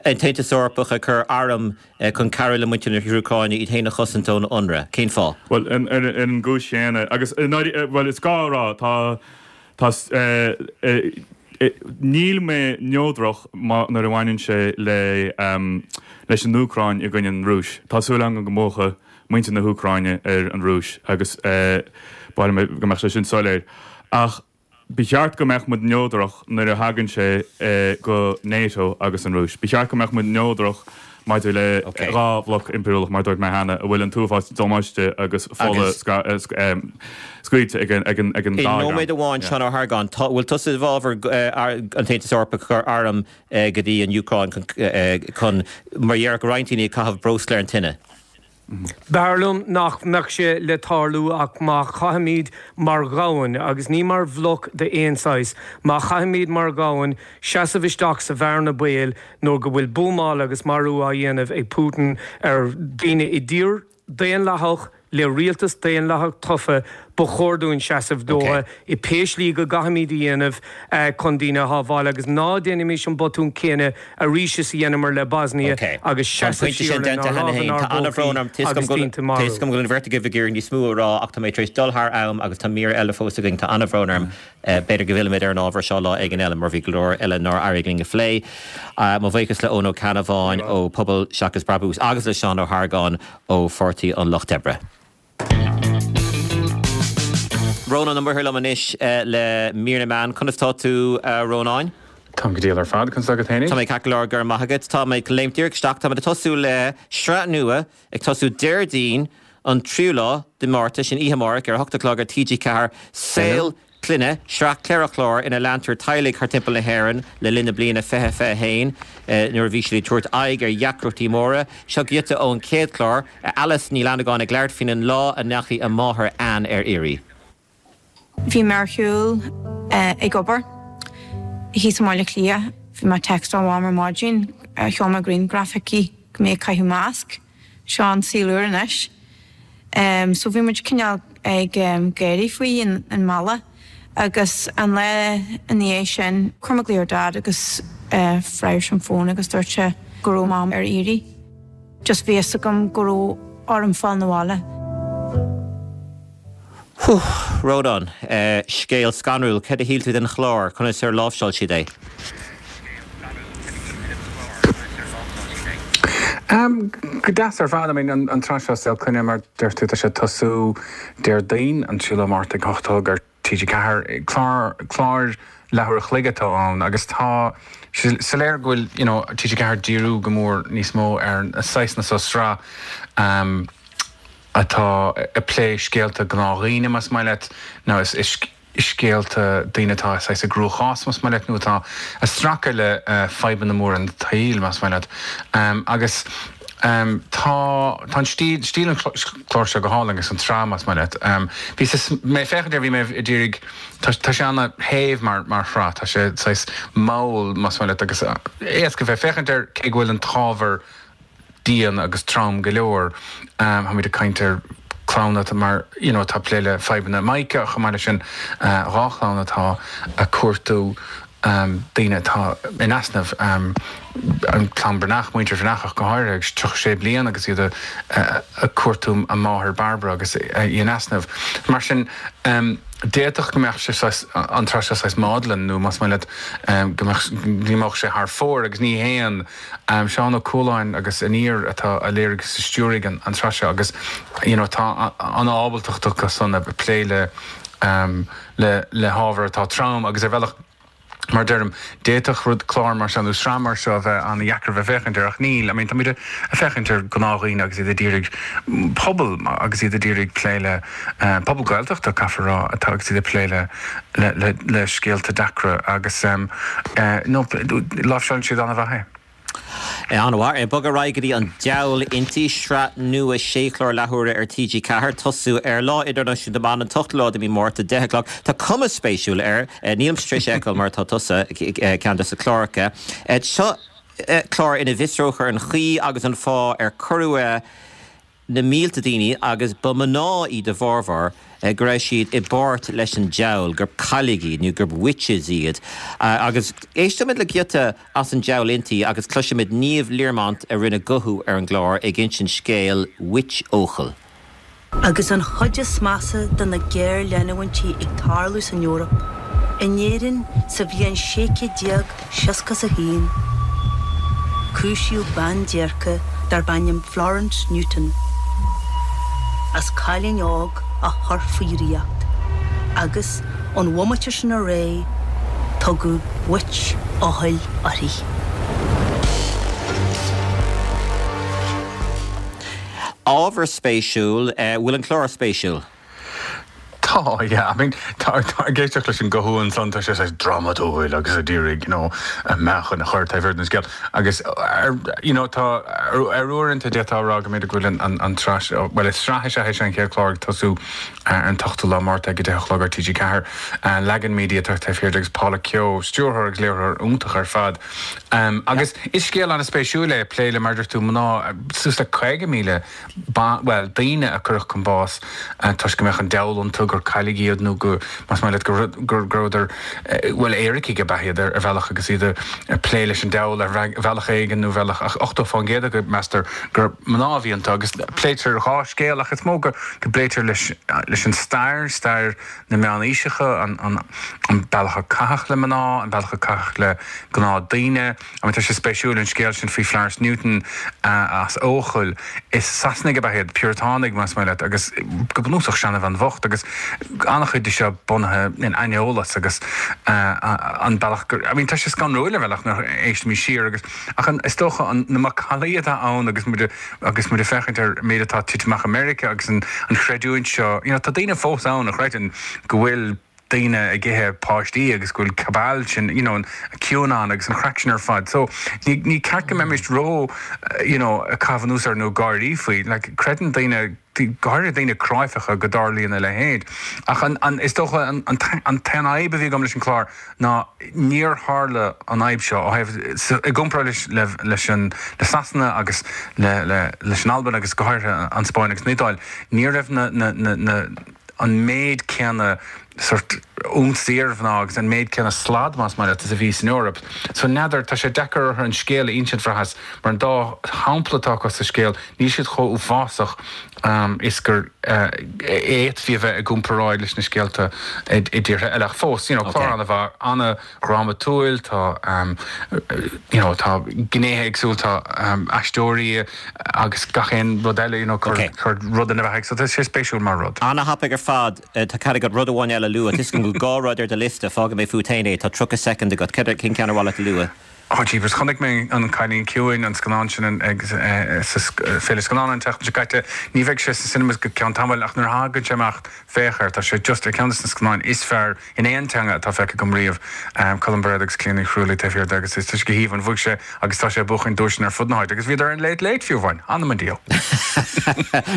an tAontas Eorpach ag cur arm chun cabhrú le muintir na hÚcráine iad féin a chosaint ón ionradh. Cén fáth? Bhuel, ar an gcúis chéanna agus bhuel is gá a rá tá tá Níl mé neodrach nuair a bhaineann sé le leis an Úcráin i gcoinne an Rúis. Tá súil agam go mbuafaidh muintir na hÚcráine ar an Rúis agus ba mhaith liom go mbeadh sé sin soiléir. Ach Ba cheart go mbeadh muid neodrach nuair a thagann sé go NATO agus an Rúis. Ba cheart go mbeadh muid neodrach maidir le dhá bhloc impiriúlach, mar a dúirt mé cheana, a bhfuil an t-uafás damáiste agus fola scaoilte ag an dá I nóiméad amháin, Seán Ó hArgáin, tá, bhfuil tusa i bhfabhar an tAontas Eorpach ag cur arm go dtí an Úcráin chun, mar a déarfadh roinnt daoine, ag caitheamh breosla ar an tine? B'fhearr liom nach mbeadh sé le tarlú ach má chaithimid mar dhomhan, agus ní mar bhloc d'aon saghas, má chaithimid mar dhomhan seasamh isteach sa bhearna baoil nuair go bhfuil buamáil agus marú á dhéanamh ag Putin ar dhaoine i dtír daonlathach le rialtas daonlathach tofa, ba chóir dúinn seasamh dótha i pé slí go gcaithfimid a dhéanamh chun daoine a shábháil agus ná déanaimis an botún céanna arís is a dheineamar le Bosnia agus Tá an seasamh pointe siar sin déanta lenár cheana lámha féin. inár Tá an-bhrón orm. bpócaí agus daoine Tá marú. a fhios agam go bhfuil an bheirt agaibh ag iarraidh níos mó a rá ach tá mé tar éis dul thar am agus tá mír eile fós againn. Tá an-bhrón orm. B'fhéidir go bhfillfimid ar an ábhar seo lá éigin eile mar bhí go leor eile nár éirigh linn a phlé. Mo bhuíochas le Eoin Ó Ceannabháin ó Pobal Seachas Brabús agus le Seán Ó hArgáin ó Pháirtí an Lucht Oibre. Rónán Ó Muirthile liom anois le mír na meán. Conas tá tú, a Rónáin? Táim go diail ar fad, conas tá agat fhéinig? Tá mé ceart go leor, go raibh maith agat. Tá mé ag léimt díreach isteach. Táimid ag tosú le sraith nua ag tosú Déardaoin an tríú lá de Márta, sin oíche amárach, ar a hocht a chlog ar T G ceathair, Saol Clainne, sraith ceithre chlár ina leantar teaghlaigh thar timpeall na hÉireann le linn na bliana fiche fiche a haon nuair a bhí siad ag tabhairt aghaidh ar dheacrachtaí móra. Seo giota ón chéad chlár, Alice Ní Fhlannagáin ag labhairt faoin lá a ndeachaigh a máthair Ann ar iarraidh. Bhí mé ar shiúl ag obair thíos i mBaile Átha Cliath. Bhí mé ag textáil Mham ar maidin, sheol mé grianghraf chuici go mé ag caitheamh masc. Seo an saol úr anois. So bhí muid cineál ag gáirí faoi i mbaile agus an lá ina dhiaidh sin chuir mé glaoch ar Dad agus freagair sé an fón agus dúirt sé go raibh Mam ar iarraidh. Just bhí fhios agam go raibh orm fáil na bhaile. Hú, Rónán, scéal scanrúil. Cad a shíl tú den chlár? Conas ar láimhseáil siad é? Go deas ar fad. I mean, an tsraith seo Saol Clainne, mar deir tú, tá sé ag tosú Déardaoin, an tríú lá Márta ag a hocht a chlog ar T G ceathair. Clár, clár leathuair a chloig atá ann agus tá sé soiléir go bhfuil, you know, T G ceathair ag díriú go mór níos mó ar na saghsanna seo sraith atá ag plé scéalta gnáthdhaoine, más maith leat, nó is scéalta daoine atá saghas i gcruachás, más maith leat, nó atá ag stracadh le fadhbanna móra an tsaoil, más maith leat. Agus tá tá an stíl stíl an chláir seo go hálainn agus an tsraith, más maith leat. Bhí mé ag féachaint air, bhí mé ag iarraidh, tá sé ana-shéimh mar mar shraith, tá sé saghas mall, más maith leat, agus éasca bheith ag féachaint air cé go bhfuil an t-ábhar dian agus trom go leor. Táimid ag caint ar chlann atá mar, you know, atá ag plé le fadhbanna mica chomh maith leis sin, dhá chlann atá ag cuartú daoine atá in easnamh, an clann Breathnach, muintir Bhreathnach ach go háirithe, agus tríocha sé bliain agus iad ag cuartú a máthair Barbara agus í in easnamh. Mar sin, d'fhéadfadh go mbeadh sé saghas, an tsraith seo saghas maudlin nó más maith leat go mbeadh, go n-imeodh sé thar fóir agus ní théann. Seán Ó Cualáin agus Aniar atá a léirigh agus a stiúraigh an tsraith seo agus you know tá an ábaltacht acu san ag plé le le le hábhar atá trom agus ar bhealach Mar deirim, d'fhéadfadh rud, clár mar seo nó sraith mar seo a bheith an-dheacair a bheith ag féachaint air ach níl. I mean, táimid ag féachaint ar ghnáthdhaoine agus iad ag iarraidh pobal agus iad ag iarraidh plé le, pobal Gaeltachta, caithfear a rá, atá agus iad ag plé le, le, le, le scéalta deacra agus, no, láimhseálann siad an-mhaith é. An-mhaith. Ag bogadh ar aghaidh go dtí An Diabhal Inti, sraith nua sé chlár leathuaire ar T G ceathair. Tosú ar Lá Idirnáisiúnta na mBan, an t-ochtú lá de mhí Márta, deich a chlog. Tá cuma spéisiúil air. Nílimse tar éis é a fheiceáil mar atá tusa, ceann de na cláracha. Seo clár ina bhfiosrófar an chaoi agus an fáth ar cuireadh na mílte daoine, agus ba mná iad a bhformhór, go raibh siad i bpáirt leis an diabhal, gur cailligh iad nó gur witches iad. Agus éistfimid le giota as An Diabhal Inti agus cloisfimid Niamh Learmont a rinne guthú ar an gclár ag insint scéal Witch Eochaill. Agus an chuid is measa de na géarleanúintí ag tarlú san Eoraip, in Éirinn sa bhliain sé chéad déag seasca is a haon, cúisíodh bean déirce darb ainm Florence Newton as cailín óg a chur faoi dhraíocht agus Ón bhomaite sin ar aghaidh, tugadh Witch Acaill uirthi. Ábhar spéisiúil, bhfuil an clár spéisiúil? Tá, yeah, I mean, tá, tá, ag éisteacht leis an guth ansan, tá sé saghas drámatúil agus ag iarraidh, you know, meáchan a chur taobh thiar den scéal. Agus, ar, you know, tá, ar, ar uaireanta d'fhéadfá a rá go mb'fhéidir go bhfuil an, an, an tsraith seo, bhuel, is sraith is ea é seo, an chéad chlár ag tosú ar an t-ochtú lá Márta ag a deich a chlog ar T G ceathair. Lagan Media atá taobh thiar de agus Paula Keogh, stiúrthóir agus léiritheoir iontach ar fad. Agus is scéal an-spéisiúil é, plé le, mar a deir tú, mná, suas le caoga míle ban, bhuel, daoine a cuireadh chun báis toisc go mbeadh an diabhal iontu, gur cailligh iad nó go, más maith leat, go, go rabhadar, bhuel, éiricigh ab ea iad ar bhealach agus iad ag plé leis an diabhal ar bhealach éigin nó bhealach, ach ochtó fán gcéad acu, meastar, gur mná a bhí iontu agus pléitear dhá scéal ach is mó go, go bpléitear leis, leis an stair, stair na meánaoiseacha, an, an, an bealach a caitheadh le mná, an bealach a caitheadh le gnáthdhaoine. I mean, tá sé spéisiúil an scéal sin faoi Florence Newton as Eochaill. Is Sasanaigh ab ea iad, Piúratánaigh más maith leat, agus go bunúsach seanabhean bhocht agus an-chuid de seo bunaithe in aineolas agus an bealach gur, I mean, tá sé scanrúil ar bhealach nuair a éistimid siar agus, ach an, is dócha an, na macallaí atá ann agus muid, agus muid ag féachaint ar an méid atá ag titim amach i Meiriceá agus an, an chreidiúint seo, you know, tá daoine fós ann a chreideann go bhfuil daoine ag ithe páistí agus go bhfuil cabal sin, you know, an QAnon agus an chraic sin ar fad. So ní, ní ceart go mbeimis ró, you know, ag caitheamh anuas air nó ag gáirí faoi. Like, creideann daoine, go háirithe daoine cráifeacha, go dtarlaíonn a leithéid. Ach an, an, is dócha an, an, an t-aon fhadhb a bhí agam leis an chlár ná níor tharla an fhadhb seo ó thaobh, sa, i gcomparáid leis, le, leis an, le Sasana agus le, le, leis an Albain agus go háirithe an Spáinn agus an Iodáil, ní raibh na, na, na, na, an méid céanna sórt ionsaí ar mhná agus an méid céanna slad, más maith leat, is a bhí san Eoraip. So n'fheadar, tá sé deacair orthu an scéal a insint, bhraitheas, mar an dá shampla atá acu sa scéal, níl siad chomh uafásach is gur fhéadfaí a bheith i gcomparáid leis na scéalta i dtíortha eile. Ach fós, you know, clár an-mhaith, an-dhrámatúil, tá, you know, tá gnéithe éagsúla, tá aisteoirí agus gach aon rud eile, you know, cur cur rud ina bheathaidh. So tá sé spéisiúil mar rud. Ana-thapaidh ar fad. Tá cead agat rud amháin eile a lua. Tá 'fhios agam go bhfuil dhá rud ar do liosta. Fágfaidh mé fút féin é. Tá tríocha soicind agat. Céard, cén ceann ar mhaith leat a lua? Oh jeepers, chonaic mé An Cailín Ciúin, an scannán sin ag sa Féile Scannán an tseachtain seo caite. Ní bheidh sé sna cinemas go ceann tamaill ach nuair a thagann sé amach, féach air. Tá sé just ar ceann de na scannáin is fearr in aon teanga atá feicthe agam riamh. Colm Bairéad agus Clíona Ní Chrualaoi taobh thiar de agus tá sé go haoibhinn. Bhuaigh sé agus tá sé ag buachan duaiseanna ar fud na háite agus bhíodar ar an Late Late fiú amháin. Anam an diabhail.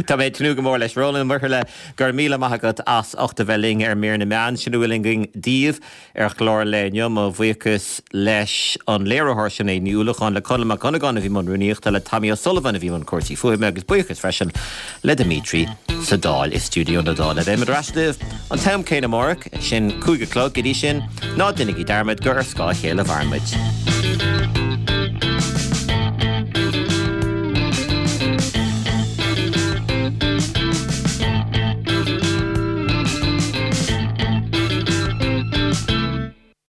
Tá mé ag tnúth go mór leis. Rónán Ó Muirthile, go raibh míle maith agat as ucht a bheith linn ar Mír na Meán. Sin a bhfuil againn daoibh ar chlár an lae inniu. Mo bhuíochas leis an léiritheoir Sinéad Ní Uallacháin, le Conall Mac Dhonnagáin a bhí i mbun rúnaíochta, le Tommy O'Sullivan a bhí i mbun cúrsaí fuaime agus buíochas freisin le Dimitri sa Dáil i stiúideo na Dála. Beimid ar ais libh an t-am céanna amárach, sin cúig a chlog. Go dtí sin, ná déanaigí dearmad gur ar scáth a chéile a mhaireann muid.